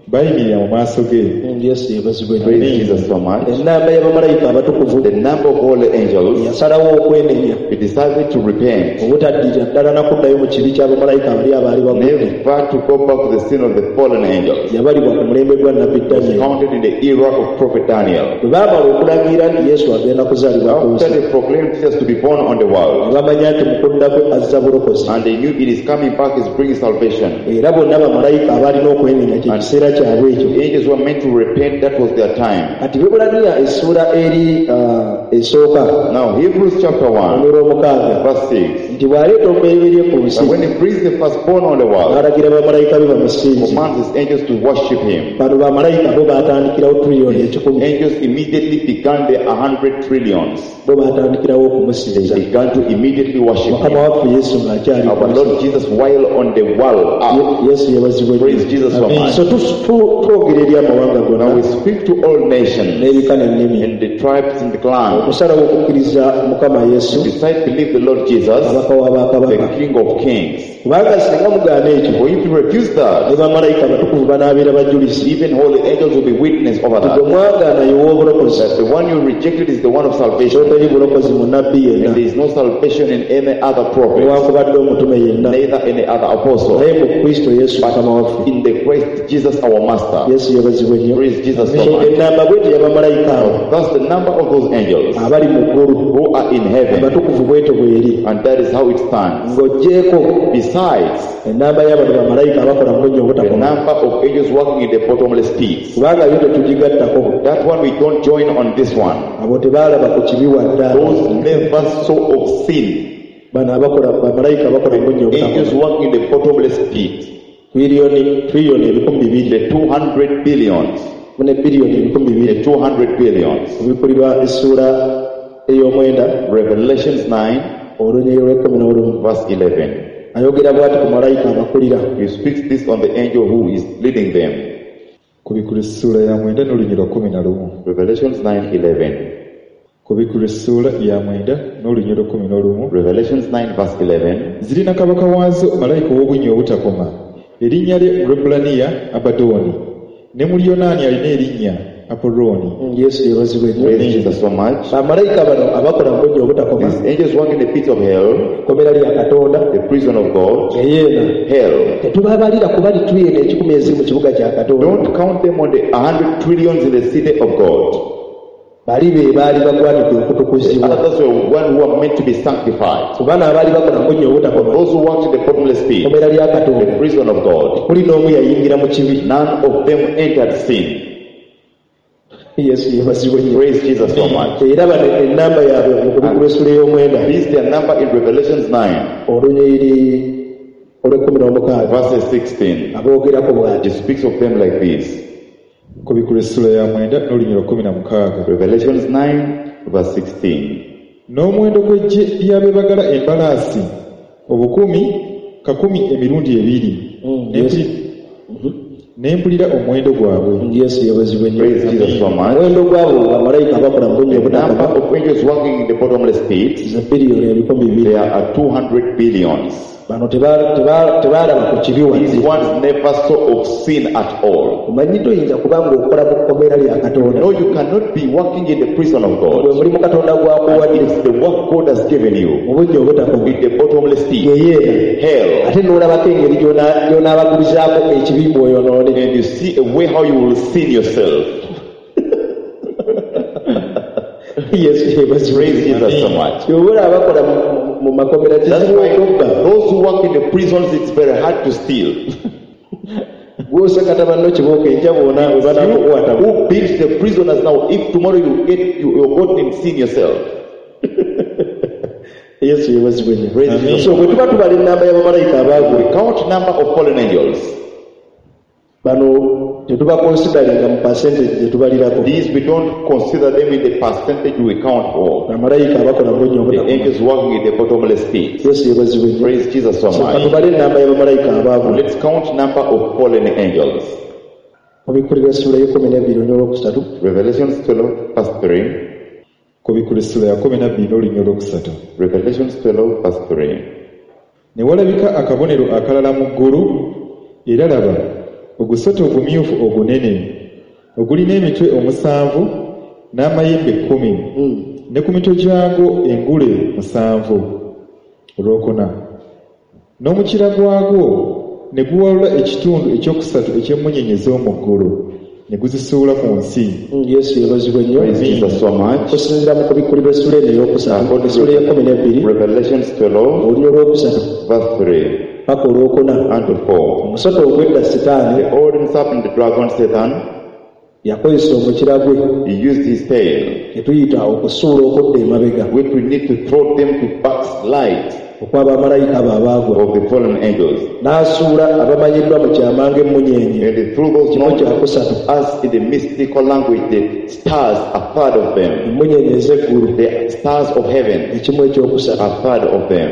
Bayimirira mu maaso ge. Yesu yeebazibwe. Praise Jesus so much. Ennamba y'abamalayika abatukuvu The number of holy angels, yasalawo okwenenya they decided to repent, obutaddirira ddala na kuddayo mu kibi ky'abamalayika abali abaali bagudde. never to go back to the sin of the fallen angels. Yabalibwa ku mulembe gwa Nabbi Was Danyeri. counted in the era of Prophet Daniel. Bwe baamala okulangira nti Yesu agenda kuzaalibwa ku After nsi, they proclaimed Jesus to be born on the ne world, bamanya nti mu kudda kwe azza bulokozi. and they knew it is coming back, is bringing salvation. Era bonna bamalayika abaalina okwenenya kye kiseera kyabwe ekyo. The angels were meant to repent, that was their time. Kati Bebbulaniya essuula eri ah, esooka Now, Hebrews chapter one, olw'omukaaga verse six. nti bw'aleeta omubereberye ku nsi But when he brings the firstborn on the world, n'alagira bamalayika be bamusinze. commands his angels to worship him. Bano bamalayika bo baatandikirawo tuliyoni ekikumi. Angels immediately began their hundred trillions. Bo baatandikirawo They okumusinza. began to immediately worship Mukama him. waffe Yesu ng'akyali ku Our nsi. Lord Jesus, while on the world, up. Ye- Yesu yeebazibwe Praise nnyo. Jesus so much. So tu- tu- twogera eri amawanga Now gonna we speak to all nations n'ebika n'ennimi and the tribes and the clans. okusalawo okukkiriza Mukama Yesu Decide believe the Lord Jesus, kabaka w'abakabaka. the King of Kings. Kubanga singa mugaana ekyo For if you refuse that, ne bamalayika abatukuvu banaabeera bajulizi even holy angels will be witness over nti gwe that. mwagaana ye w'obulokozi That the one you rejected is the one of salvation. toteri bulokozi mu nabbi yenna And there is no salvation in any other prophet, newankubadde omutume yenna neither any other apostle. naye mu Kristo Yesu Mukama waffe. In the Christ Jesus our Master. Yesu yeebazibwe nnyo. Praise Jesus so So much. ennamba bwetyo y'abamalayika abo That's the number of those angels abali mu ggulu who are in heaven. abatukuvu bwetyo bweri And that is how it stands. ng'oggyeeko Besides, ennamba y'abano bamalayika abakola mu bunnya the obutakoma number of angels working in the bottomless pit. kubanga yo tetugigattako. That one we don't join on this one. Abo tebaalaba ku kibi wadde Those never saw of sin. bano abakola bamalayika abakola mu bunnya Angels obutakoma working in the bottomless pit. Triliyoni triliyoni ebikumi bibiri The two hundred billions. ne biliyoni ebikumi bibiri The two hundred billions. obikulirwa essuula ey'omwenda Revelations nine, olunyiriri lw'ekkumi n'olumu verse eleven. ayogera bw'ati ku malayika abakulira. He speaks this on the angel who is leading them. Kubikula essuula ya mwenda n'olunyiriri lwa kkumi na lumu. Revelations nine eleven. Kubikula essuula ya mwenda n'olunyiriri lwa kkumi n'olumu. Revelations nine verse eleven. Zirina kabaka waazo malayika ow'obunnya obutakoma. Erinnya lye mu Lwebbulaniya Abadooni, ne mu Luyonaani alina erinnya Apollooni. Yesu yeebazibwe nnyo. Praise Jesus so much. Bamalayika bano abakola mu bunnya obutakoma These angels work in the pit of hell, ekkomera lya Katonda the prison of God, eyeena hell. tetubabalira kuba lituliyoni ekikumi eziri mu kibuga kya Katonda. Don't count them on the hundred trillions in the city of God. Bali be baali bagwanidde okutukuzibwa. Others were one who are meant to be sanctified. Ku bano abaali bakola mu bunnya obutakoma Those who worked in the bottomless pit, ekkomera lya the Katonda prison of God, kuli n'omu yayingira mu kibi. none of them entered sin. Yesu yeebazibwe nnyo. Praise Jesus so much. Era bano ennamba yaabwe mu kubikulwa essuula ey'omwenda This is their number in Revelations nine, olunyiriri olw'ekkumi n'omukaaga verses sixteen. aboogerako bw'ati. It speaks of them like this. Kubikula essuula ya mwenda n'olunyiriri lwa kkumi na mukaaga. Revelations nine, verse sixteen. N'omuwendo gw'eggye ly'abeebagala embalaasi obukumi kakumi emirundi ebiri. Mm, Ne yes. mpuli- Ne mpulira omuwendo gwabwe. Yesu yeebazibwe nnyo. Praise Jesus so much. Omuwendo gw'abo bamalayika abakola mu bunnya The number obutakoma of angels working in the bottomless pit, ze biliyoni ebikumi bibiri. there are two hundred billions. Bano teba- teba- tebaalaba ku kibi These wadde. ones never saw of sin at all. Omanyi toyinza kuba ng'okola mu kkomera lya Katonda. No, you cannot be working in the prison of Gwe God. mulimu Katonda gw'akuwadde It's the work God has given you mu bunnya obutakoma in the bottomless pit, geyeena hell. ate n'olabako engeri gy'ona- gy'onaabagulizaako ekibi bw'oyonoone. And you see a way how you will sin yourself. Yesu yeebazibwe. Praise Jesus so much. Ky'oba olaba abakola mu- mu makomera That's kizibu why okubba. those who work in the prisons, it's very hard to steal. Gw'osakata banno kibooko enkya bw'ona bwe banaakukwata. Who beats the prisoners now? If tomorrow you get you, you're got in sin yourself. Yesu yeebazibwe nnyo. Praise Jesus. So bwe tuba tubala ennamba y'abamalayika abaagwa We count number of fallen angels. bano tetubakonsidaringa mu percentage gye tubalirako. These we don't consider them in the percentage we count for. Bamalayika abakola mu bunnya The obutakoma. angels working in the bottomless pit. Yesu yeebazibwe nnyo. Praise Jesus so So much. katubale ennamba y'abamalayika abaagwa. Let's count number of fallen angels. Obikulirwa essuula y'ekkumi n'ebbiri n'olwokusatu. Revelations twelve verse three. Kubikula essuula ya kkumi na bbiri n'olunyiriri olwokusatu. Revelations twelve verse three. Ne walabika akabonero akalala mu ggulu, era laba ogusota ogumyufu ogunene ogulina emitwe omusanvu n'amayembe kkumi ne ku mitwe gyagwo engule musanvu olwokuna n'omukira gwagwo ne guwalula ekitundu ekyokusatu eky'emmunyeenye ez'omu ggulu ne guzisuula ku nsi. Yesu yeebazibwe nnyo. Praise Jesus so much. Okusinziira mu kubikkulirwa essula eno ey'okusatu essula ey'ekkumi n'ebbiri Revelations twelve, olunya olwokusatu verse three paka olwokuna and to four. Omusota ogw'edda Sitaani The old serpent, the dragon Satan, yakozesa omukira gwe he used his tail, kye tuyita okusuula okudda emabega which we need to throw them to backslide okw'abamalayika abo abaagwa of the fallen angels. N'asuula abamanyiddwa mu kyama ng'emmunyeenye And they threw those kimu known kya kusatu us in the mystical language, the stars, a third of them. Emmunyeenye ez'eggulu The stars of heaven, ekimu ekyokusatu. A third of them.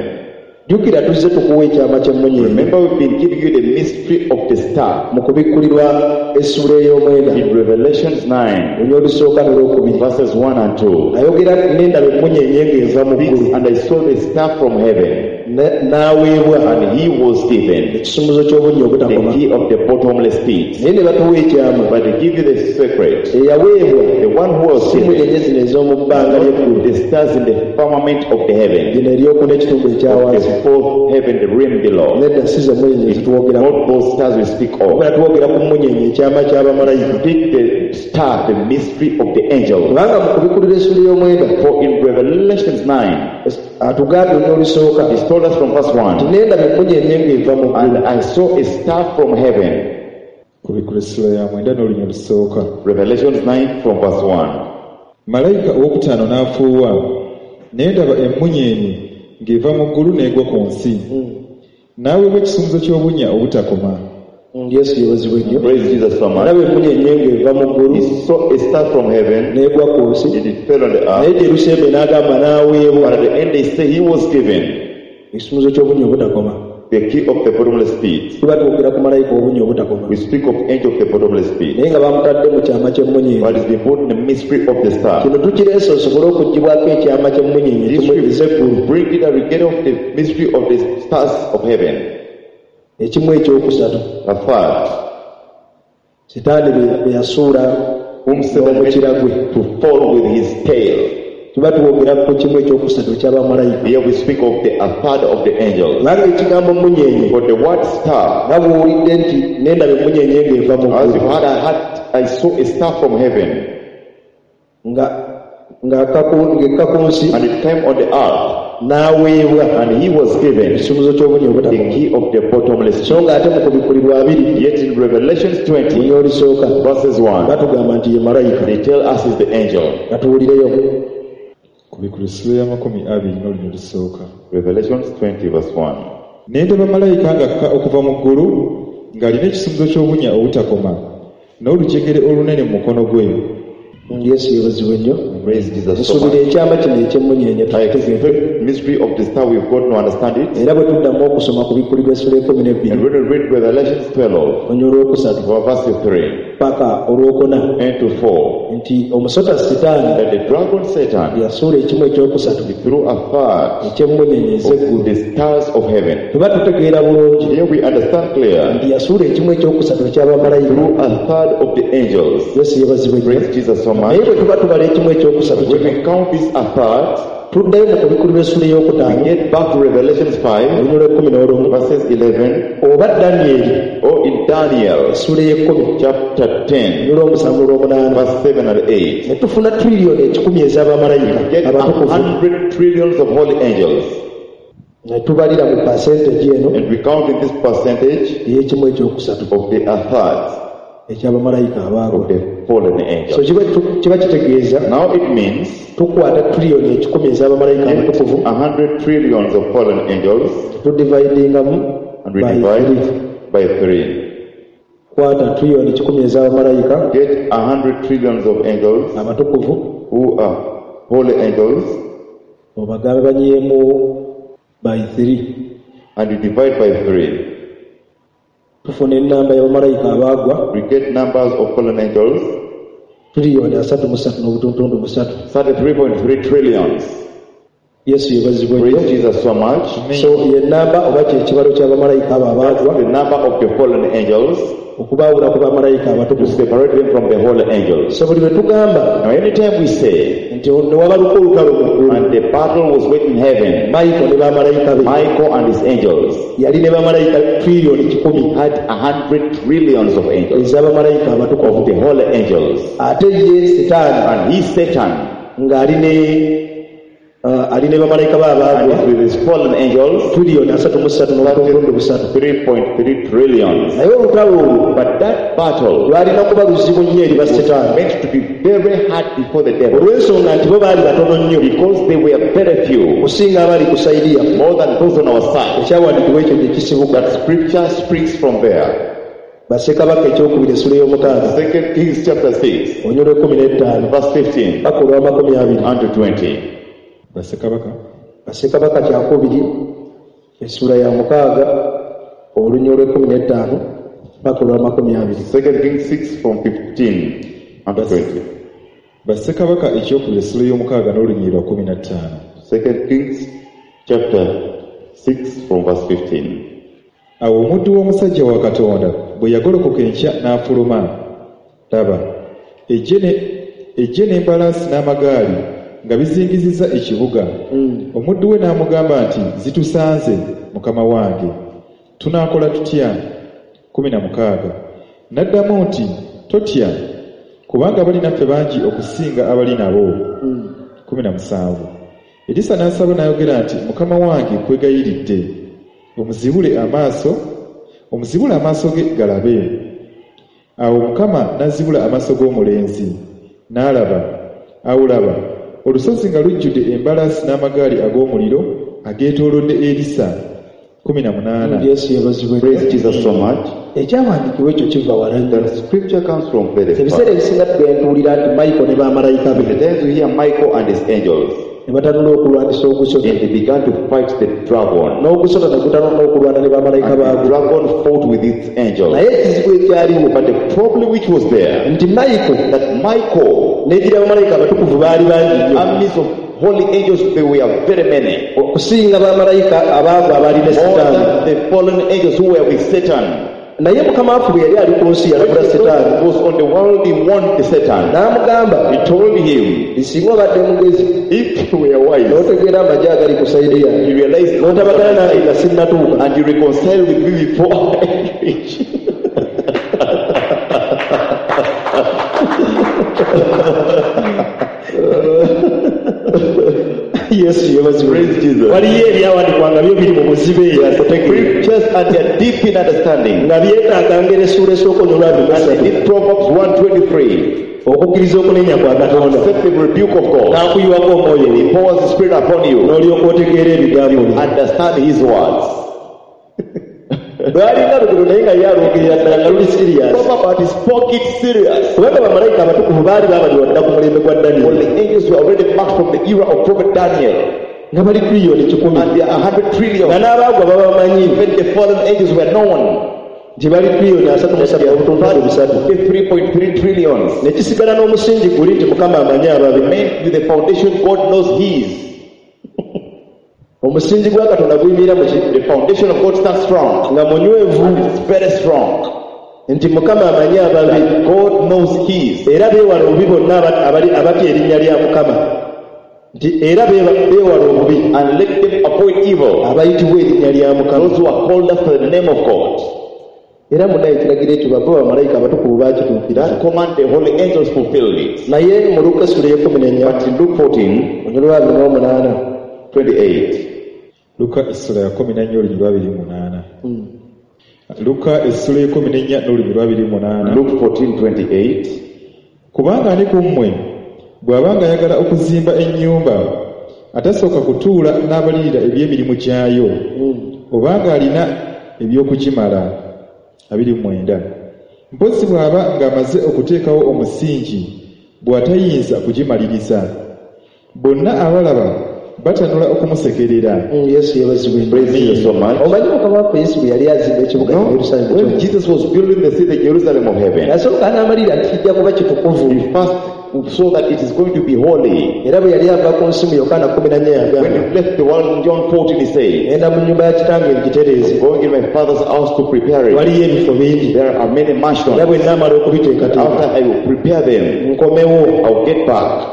Jjukira tuzze tukuwa ekyama ky'emmunyeenye Remember, we've been giving you the mystery of the star mu kubikkulirwa essula ey'omwenda in Revelations nine, olunya olusooka n'olwokubiri verses one and two. Ayogera n'endaba emmunyeenye ng'eva mu ggulu And I saw the star from heaven, Ne- n'aweebwa and he was given ekisumuzo ky'obunnya the obutakoma key of the bottomless pit. Naye ne batuwa ekyama But they give you the secret. Eyaweebwa The one who was si given mmunyenye zino ez'omu bbanga ly'eggulu the stars in the firmament of the heaven, lino eryokuna ekitundu ekya wansi the fourth heaven, the realm below. Nedda si ze mmunyenye zetwogerako Not those stars we speak of. wabula twogera ku mmunyenye ekyama ky'abamalayika Take the star, the mystery of the angels. Kubanga mu kubikkulira essula y'omwenda For in Revelations nine, atugambye olunya olusooka he told us from verse one, nti nendaba emmunyenye ng'eva mu ggulu and I saw a star from heaven. Kubikkula essula ya mwenda n'olunya olusooka. Revelations nine from verse one. Malayika owokutaano n'afuuwa ne ndaba emmunyeenye ng'eva mu ggulu n'egwa ku nsi n'aweebwa ekisumuzo ky'obunnya obutakoma. Yesu yeebazibwe nnyo. Praise Jesus so much. Alaba emmunyeenye ng'eva mu ggulu He saw a star from heaven, n'egwa ku nsi and it fell on the naye earth. gye n'agamba n'aweebwa But at the end, they say he was given ekisumuzo ky'obunnya obutakoma. the key of the bottomless pit. Tuba twogera ku malayika obunnya obutakoma We speak of angel of the bottomless pit. Naye nga bamutadde mu kyama ky'emmunyeenye. But it's been put in the mystery of the star. Kino tukireese osobole okuggyibwako ekyama ky'emmunyeenye This ekimu ez'eggulu will bring it that we get off the mystery of the stars of heaven. Ekimu ekyokusatu A third, Sitaani bye- bye yasuula whom Satan made n'omukira gwe to fall with his tail. Tuba twogera ku kimu ekyokusatu eky'abamalayika Here we speak of the a third of the angels. Kubanga ekigambo mmunyeenye But the word star, nga bw'owulidde nti nendaba emmunyeenye ng'eva mu as ggulu you heard, I had I saw a star from heaven, nga ng'akka ku- ng'ekka ku nsi and it came on the earth, n'aweebwa and he was given ekisumuzo ky'obunnya the obutakoma key of the bottomless so pit. ng'ate mu kubikkulirwa abiri Yet in Revelations twenty, lunya olusooka verses one, batugamba nti ye malayika they tell us is the angel. Katuwulireyo. Kubikkula essula y'amakumi abiri n'olunya olusooka. Revelations twenty, verse one. Ne ndaba malayika ng'akka okuva mu ggulu ng'alina ekisumuzo ky'obunnya obutakoma n'olujegere olunene mu mukono gwe. Yesu yeebazibwe nnyo. Praise Jesus so Nsuubira much. Ekyama kino eky'emmunyeenye I tukitegedde expect mystery of the star, we've got to understand it. Era bwe tuddamu okusoma ku bikkulirwa essula ekkumi n'ebbiri And when we read Revelations twelve, olunya olwokusatu verse three paka olwokuna and to four, nti omusota Sitaani that the dragon Satan yasuula ekimu ekyokusatu he threw a third eky'emmunyeenye ez'eggulu of the stars of heaven. Tuba tutegeera bulungi Here we understand clear nti yasuula ekimu ekyokusatu eky'abamalayika through a third of the angels. Yesu yeebazibwe nnyo. Praise Jesus so much. Naye bwe tuba tubala ekimu ekyokusatu When kino we count this a third, tuddayo mu kubikkulirwa essula we ey'okutaano get back to Revelations five, olunya olw'ekkumi n'olumu verses eleven, oba Danyeri or in Daniel essula ey'ekkumi chapter ten, olunya olw'omusanvu olw'omunaana verse seven and eight. Ne tufuna triliyoni ekikumi ez'abamalayika Get a abatukuvu hundred trillions of holy angels. Ne tubalira mu percentage eno And we count in this percentage ey'ekimu ekyokusatu of the a third eky'abamalayika abaagwa of the fallen so angels. kiba kiba kitegeeza Now it means tukwata triliyoni ekikumi ez'abamalayika abatukuvu a hundred trillions of fallen angels tudividingamu and we by divide three. by three. Kwata triliyoni kikumi ez'abamalayika Get a hundred trillions of angels abatukuvu who are holy angels obagambe banyiyeemu by three and you divide by three. Tufuna ennamba y'abamalayika abaagwa We get numbers of fallen angels triliyoni asatu mu ssatu n'obutuntundu busatu. thirty-three point three trillions. Yesu yeebazibwe nnyo. Praise Jesus so much. So ye nnamba oba kye kibalo ky'abamalayika abo abaagwa The number of the fallen angels Okubaawula ku bamalayika To abatukuvu. separate them from the holy angels. So buli lwe tugamba Now anytime we say, nti ne wabaluka olutalo mu ggulu, and the battle was waged in heaven, Michael ne bamalayika be, Michael and his angels yali ne bamalayika triliyoni kikumi had a hundred trillions of angels, ez'abamalayika of abatukuvu. the holy angels. Ate ye Setaani And he, Satan, ng'ali ne uh, ali ne bamalayika be and abaagwa with his fallen angels, triliyoni asatu mu ssatu n'obutundu busatu. three point three trillions. Naye olutalo olwo But that battle lwalina kuba luzibu nnyo eri basetaani meant to be very hard before the devil, olw'ensonga nti bo baali batono nnyo because they were very few, okusinga abali ku sayidi yaffe. more than those on our side. Ekyawandiikibwa ekyo gye kisibuka. That scripture springs from there. Bassekabaka ekyokubiri essula y'omukaaga Second Kings chapter six, olunyiriri lw'ekkumi n'ettaano verse fifteen paka olw'amakumi abiri. and to twenty. Bassekabaka Bassekabaka kyakubiri essula ya mukaaga olunyiriri lw'ekkumi n'ettaano paka olw'amakumi abiri. Second Kings six from fifteen and to twenty. Bassekabaka ekyokubiri essula y'omukaaga n'olunyiriri lwa kkumi na ttaano. Second Kings chapter six from verse fifteen. Awo omuddu w'omusajja wa Katonda bwe yagolokoka enkya n'afuluma, laba, eggye ne- eggye n'embalaasi n'amagaali nga bizingizizza ekibuga. Omuddu we n'amugamba nti, zitusanze mukama wange, tunaakola tutya? Kkumi na mukaaga. N'addamu nti, totya, kubanga abali naffe bangi okusinga abali nabo. Kkumi na musanvu. Erisa n'asaba n'ayogera nti, mukama wange kwegayiridde, omuzibule amaaso, omuzibule amaaso ge galabe. Awo Mukama n'azibula amaaso g'omulenzi, n'alaba, awo laba, olusozi nga lujjudde embalaasi n'amagaali ag'omuliro ageetoolodde Erisa. Kkumi na munaana. Yesu yeebazibwe. Praise Jesus so much. Ekyawandiikibwa ekyo kiva wala nnyo. The scripture comes from very Ebiseera far. ebisinga tugenda tuwulira nti Michael ne bamalayika be The times we hear Michael and his angels, ne batanula okulwanisa ogusota, and they began to fight the dragon. n'ogusota ne gutanula okulwana ne bamalayika And the baagwo. dragon fought with its angels. Naye ekizibu ekyaliwo But the problem which was there, nti Michael that Michael, n'egira bamalayika abatukuvu baali bangi nnyo armies of holy angels, they were very many. okusinga bamalayika abaagwa abaali ne More Setaani. than the fallen angels who were with Satan. Naye Mukama waffe bwe yali ali ku nsi When yalabula Jesus Setaani was on the world, he warned the Satan. n'amugamba He told him, singa obadde mugezi if you were wise, n'otegeera amagye agali ku sayidi yange you realize n'otabagana nange nga sinnatuuka and you reconcile with me before I reach. Yesu yeebazibwe. Praise Jesus. Waliyo ebyawandiikibwa nga byo biri mu buzibe eyategeera Scriptures and they are deep in understanding. nga byetaaga ngeri essuula esooka olunyiriri lwa And bisatu in Proverbs one twenty-three, okukkiriza okunenya kwa Katonda accept the rebuke of God. n'akuyiwako omwoyo He we pours his spirit upon you. n'olyoka otegeera ebigambo bye. Understand his words. Lwalinga lugero naye nga ye alwogerera ddala nga luli serious. Proverbs, but he spoke it serious. Kubanga bamalayika abatukuvu baali babalibwa dda ku mulembe gwa For Daniel the angels were already marked from the era of Prophet Daniel. nga bali triliyoni kikumi And they are a hundred trillion. nga n'abaagwa babamanyi Even the fallen angels were known. nti bali triliyoni asatu mu ssatu obutundu busatu three point three trillions. ne kisigala n'omusingi guli nti Mukama amanyi ababe. Remain with the foundation God knows his. Omusingi gwa Katonda guyimirira mu ki? The foundation of God stands strong. Nga munywevu It's very strong. nti Mukama amanyi ababe. That God knows his. Era beewala obubi bonna abali abatya erinnya lya Mukama. Nti era beewala obubi And let them avoid evil. abayitibwa erinnya lya Mukama. Those who are called after the name of God. Era munnaye ekiragiro ekyo bava bamalayika abatukuvu baakituukiriza. That command the holy angels fulfilled it. Naye mu Luka essula ey'ekkumi n'ennya But in Luke fourteen, olunyiriri lwa abiri n'omunaana twenty-eight. Luka essula ya kkumi na nnya olunyiriri lwa abiri mu munaana. Luka essula y'ekkumi n'ennya n'olunyiriri lwa abiri mu munaana. Luke fourteen, twenty-eight. Kubanga ani ku mmwe bw'abanga ayagala okuzimba ennyumba atasooka kutuula n'abalirira eby'emirimu gyayo obanga alina eby'okugimala. Abiri mu mwenda. Mpozzi bw'aba ng'amaze okuteekawo omusingi bw'atayinza kugimaliriza bonna abalaba batanula okumusekerera. Yesu yeebazibwe. Praise Jesus so much. Omanyi Mukama waffe Yesu bwe yali azimba ekibuga No, Yerusaalemu when Jesus was building the city Jerusalem of heaven, yasooka n'amalira nti kijja kuba kitukuvu. he first so that it is going to be holy. Era bwe yali ava ku nsi mu Yokaana kkumi na nnya When yagamba he left the world in John fourteen, he said, ngenda mu nnyumba ya kitange ngitereeze going in my father's house to prepare it. waliyo ebifo bingi There are many mansions. era bwe nnaamala okubiteekateeka After I will prepare them, nkomewo I'll get back.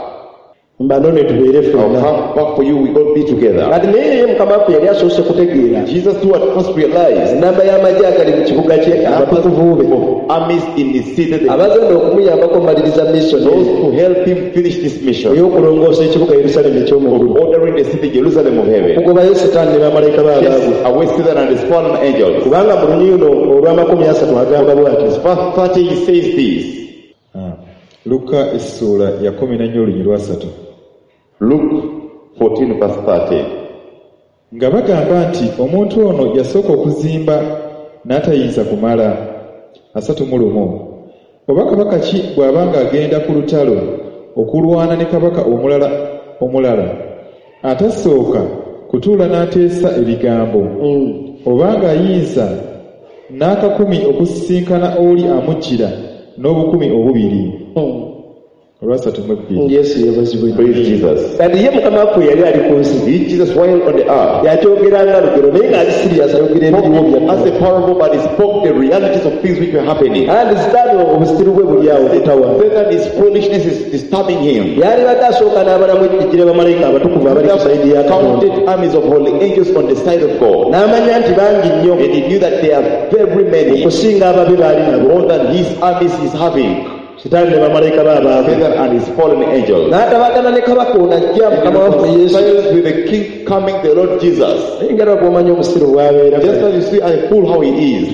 mbanone tubeere I'll ffenna come back for you. We all be together. kati naye ye mukama waffe yali asoose kutegeera Jesus too at first realized ennamba y'amagye agali mu kibuga kye abatukuvu be of armies in the city, the- abagenda okumuyambako omaliriza mission those who help him finish this mission, ey'okulongoosa ekibuga Yerusaalemi eky'omu ggulu ordering the city Jerusalem of heaven, okugobayo setaani ne bamalayika be abaagwe chase away Satan and his fallen angels. kubanga mu lunyuno olw'amakumi asatu agamba bw'ati Verse thirty, he says this. Ah, Luka essuula ya kkumi na nnya olunyiriri lwasatu Luke fourteen verse thirty. Nga bagamba nti omuntu ono yasooka okuzimba n'atayinza kumala asatu mu lumu oba kabaka ki bw'aba ng'agenda ku lutalo okulwana ne kabaka omulala omulala atasooka kutuula n'ateesa ebigambo oba ng'ayinza n'akakumi okusisinkana oli amujjira n'obukumi obubiri olwasatu mu ebbiri Yesu yeebazibwe Praise Jesus. kati ye mukama waffe yali ali ku nsi He, Jesus, while on the earth, yakyogeranga lugero naye ng'ali serious ayogera ebiriwo spoke bya as a parable, but he spoke the realities of things which were happening. and sitaani obusiru bwe buli awo butawa Satan, his foolishness is disturbing him. yalibadde asooka n'abalamu ejjira bamalayika abatukuvu abali ku sayidi ya Katonda Counted armies of holy angels on the side of God. n'amanya nti bangi nnyo And he knew that there are very many, okusinga ababi baali nabo more than his armies he's having. sitaani ne bamalayika be abaavu Satan and his fallen angels. n'atabagana ne kabaka ono ajja mukama waffe Yesu Silence with the king coming, the Lord Jesus. naye nga bw'omanyi omusiru bw'abeera Just as you see a fool how he is.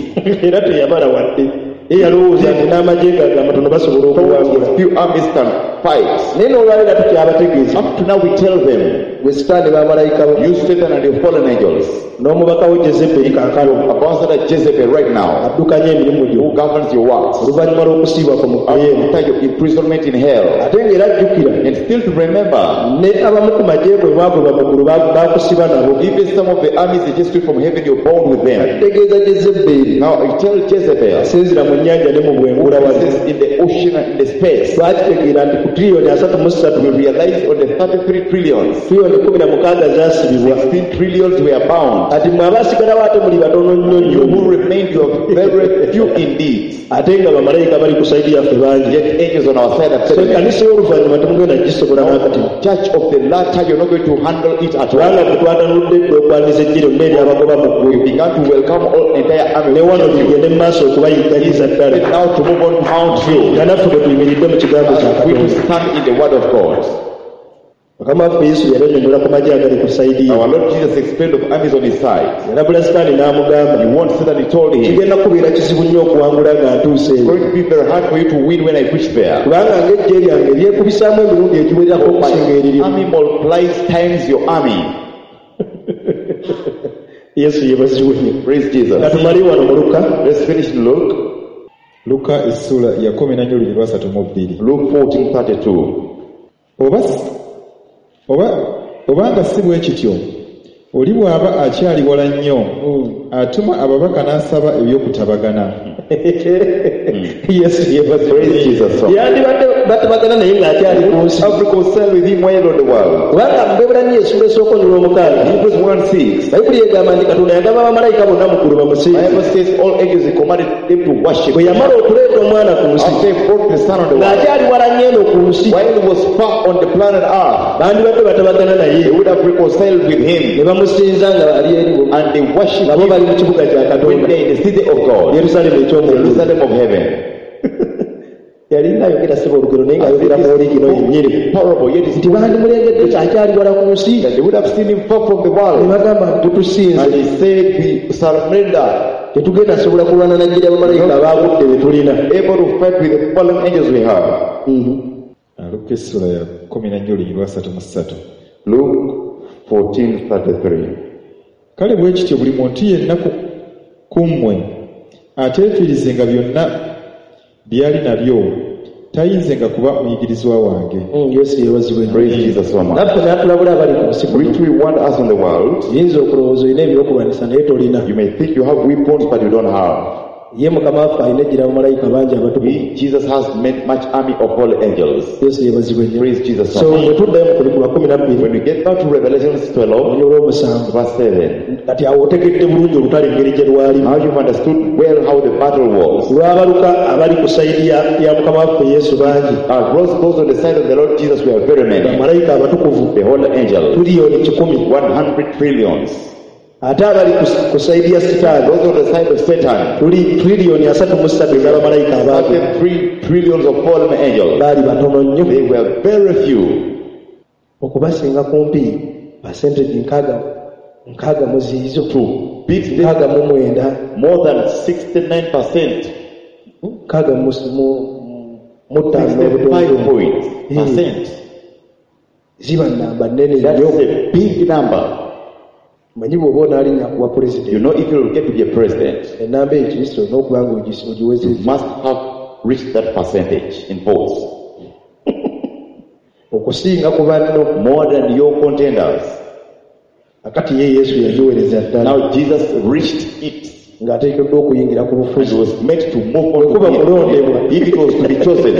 era teyabala wadde ye yalowooza nti n'amagye ge amatono basobola okuwangula Few armies can fight. naye n'olwaleero tukyabategeeza Up to now we tell them, gwe sitaani bamalayika bo you Satan and your fallen angels, n'omubaka wo Jezeberi kaakano ambassador Jezebel right now, addukanya emirimu gyo who governs your works, oluvannyuma lw'okusiibwa ku mukoyeemu after your imprisonment in hell, ate ng'era ajjukira and still to remember, ne abamu ku magye bwe baagoba mu ggulu ba- baakusiba nabo even some of the armies that just took from heaven, you're bound with them. ategeeza Jezeberi Now I tell Jezebel, asinzira mu nnyanja ne mu bwengula wali this is in the ocean and in the space. twakitegeera nti ku tiriyoni asatu mu ssatu We realized on the thirty-three trillions, tiriyoni kumi na mukaaga zaasibibwa sixteen trillions were bound. kati mmwe abaasigalawo ate muli batono nnyo You nnyo who remained, you are very few indeed. ate nga bamalayika bali ku sayidi yaffe bangi Yet angels on our side are so telling us, ekkanisa y'oluvannyuma temugenda gisobola n'akati Church of the latter, you're not going to handle it at all. kubanga bwe twatanudde edda okwaniriza ejji lyonna eryabagoba mu We ggulu began to welcome all entire army. ne wano tugende mu maaso okubayigganyiza ddala But now to move on to mount you. nga naffe bwe tuyimiridde mu kigambo kya We to Katonda stand in the word of God. mukama waffe Yesu yali annyonnyola ku magye agali ku sayidi ye Our Lord Jesus explained of armies on his side. yalabula sitaani n'amugamba He warned Satan, he told him, kigenda kubeera kizibu nnyo okuwangula nga ntuuse it's eyo going to be very hard for you to win when I reach there. kubanga ng'eggye lyange lyekubisaamu emirundi egiwererako okusinga eriryo Army multiplies times your army. Yesu yeebazibwe nnyo Praise Jesus. nga tumale wano mu Luka Let's finish in Luke. Luka essuula ya kkumi na nnya olunyiriri lwasatu mu bbiri Luke fourteen thirty-two. oba oba obanga si bwe kityo oli bw'aba akyali wala nnyo atuma ababaka n'asaba ebyokutabagana Yesu yeebazibwe Praise Jesus. yandibadde batabagana naye ng'akyali ku nsi Have reconciled with him while on the world. kubanga mu Bebbulaniya essuula esooka olunyiriri olw'omukaaga Hebrews one six. Bayibuli egamba nti Katonda yagamba bamalayika bonna mu ggulu bamusinze Bible says all angels he commanded them to worship. bwe yamala okuleeta omwana ku nsi After he brought the son on the world, ng'akyali wala nnyo eno ku nsi while he was far on the planet Earth, bandibadde batabagana naye they would have reconciled with him ne bamusinza nga ali eri bo and they worship nabo him bali mu kibuga kya when Katonda they in the city of God, Yerusaalemi eky'omu ggulu Jerusalem of heaven. yalinga ayogera siba olugero naye ng'ayogera mu oligino yennyini Parable, yet nti it's bandimulengedde akyali wala ku nsi that they would have seen him far from the ne world. bagamba nti tutusinze And he said, we surrender, tetugenda sobola kulwana na ggye bamalayika abaagudde be tulina able to fight with the fallen angels we have. Luka essuula ya kkumi na nnya olunyiriri lwasatu mu ssatu Luke fourteen thirty-three. Kale bwe kityo buli muntu yenna ku, ku mmwe ateefiirizenga byonna by'ali nabyo tayinzenga kuba muyigirizwa wange. Yesu yeebazibwe Praise Jesus so much. naffe n'atulabula abali ku nsi kuno Which we want us in the world. oyinza okulowooza olina ebyokulwanyisa naye tolina You may think you have weapons, but you don't have. Ye mukama waffe alina ejjira bamalayika bangi abatukuvu. We, Jesus has made much army of holy angels. Yesu yeebazibwe nnyo. Praise Jesus So so much. bwe tuddayo mu kubikkulwa kumi na bbiri When we get back to Revelations twelve, olunyiriri olw'omusanvu verse seven, kati awo otegedde bulungi olutalo engeri gye lwalimu. Now you've understood well how the battle was. Lwabaluka abali ku sayidi ya ya mukama waffe Yesu bangi. Uh, those, those on the side of the Lord Jesus were very many. Bamalayika abatukuvu The holy angels, tuliyoni kikumi. one hundred trillions. Ate abali ku- ku sayidi ya sitaani Those on the side of Satan, tuli tuliyoni asatu mu ssatu ez'abamalayika abaagwa. thirty-three trillions of fallen angels. Baali batono nnyo. They were very few. Okubasinga kumpi percentage nkaaga nkaaga mu ziizo To beat them nkaaga mu mwenda more than sixty-nine percent, nkaaga mu mu- mu ttaano sixty-five n'obutonotono points, percent. Ziba namba nnene That's nnyo. a big number. Manyi bw'oba onaalinnya kuwa You pulezidenti know, if you will get to be a president, ennamba eyo kristo olina okuba nga ogis- you ogiwezezza must have reached that percentage in votes. Okusinga ku banno. More than your contenders. Akati ye Yesu yagiwereza ddala Now Jesus reached it ng'ateekeddwa okuyingira ku and bufuzi. was made to move on Bwe kuba to kulondebwa. be, if it was to be chosen.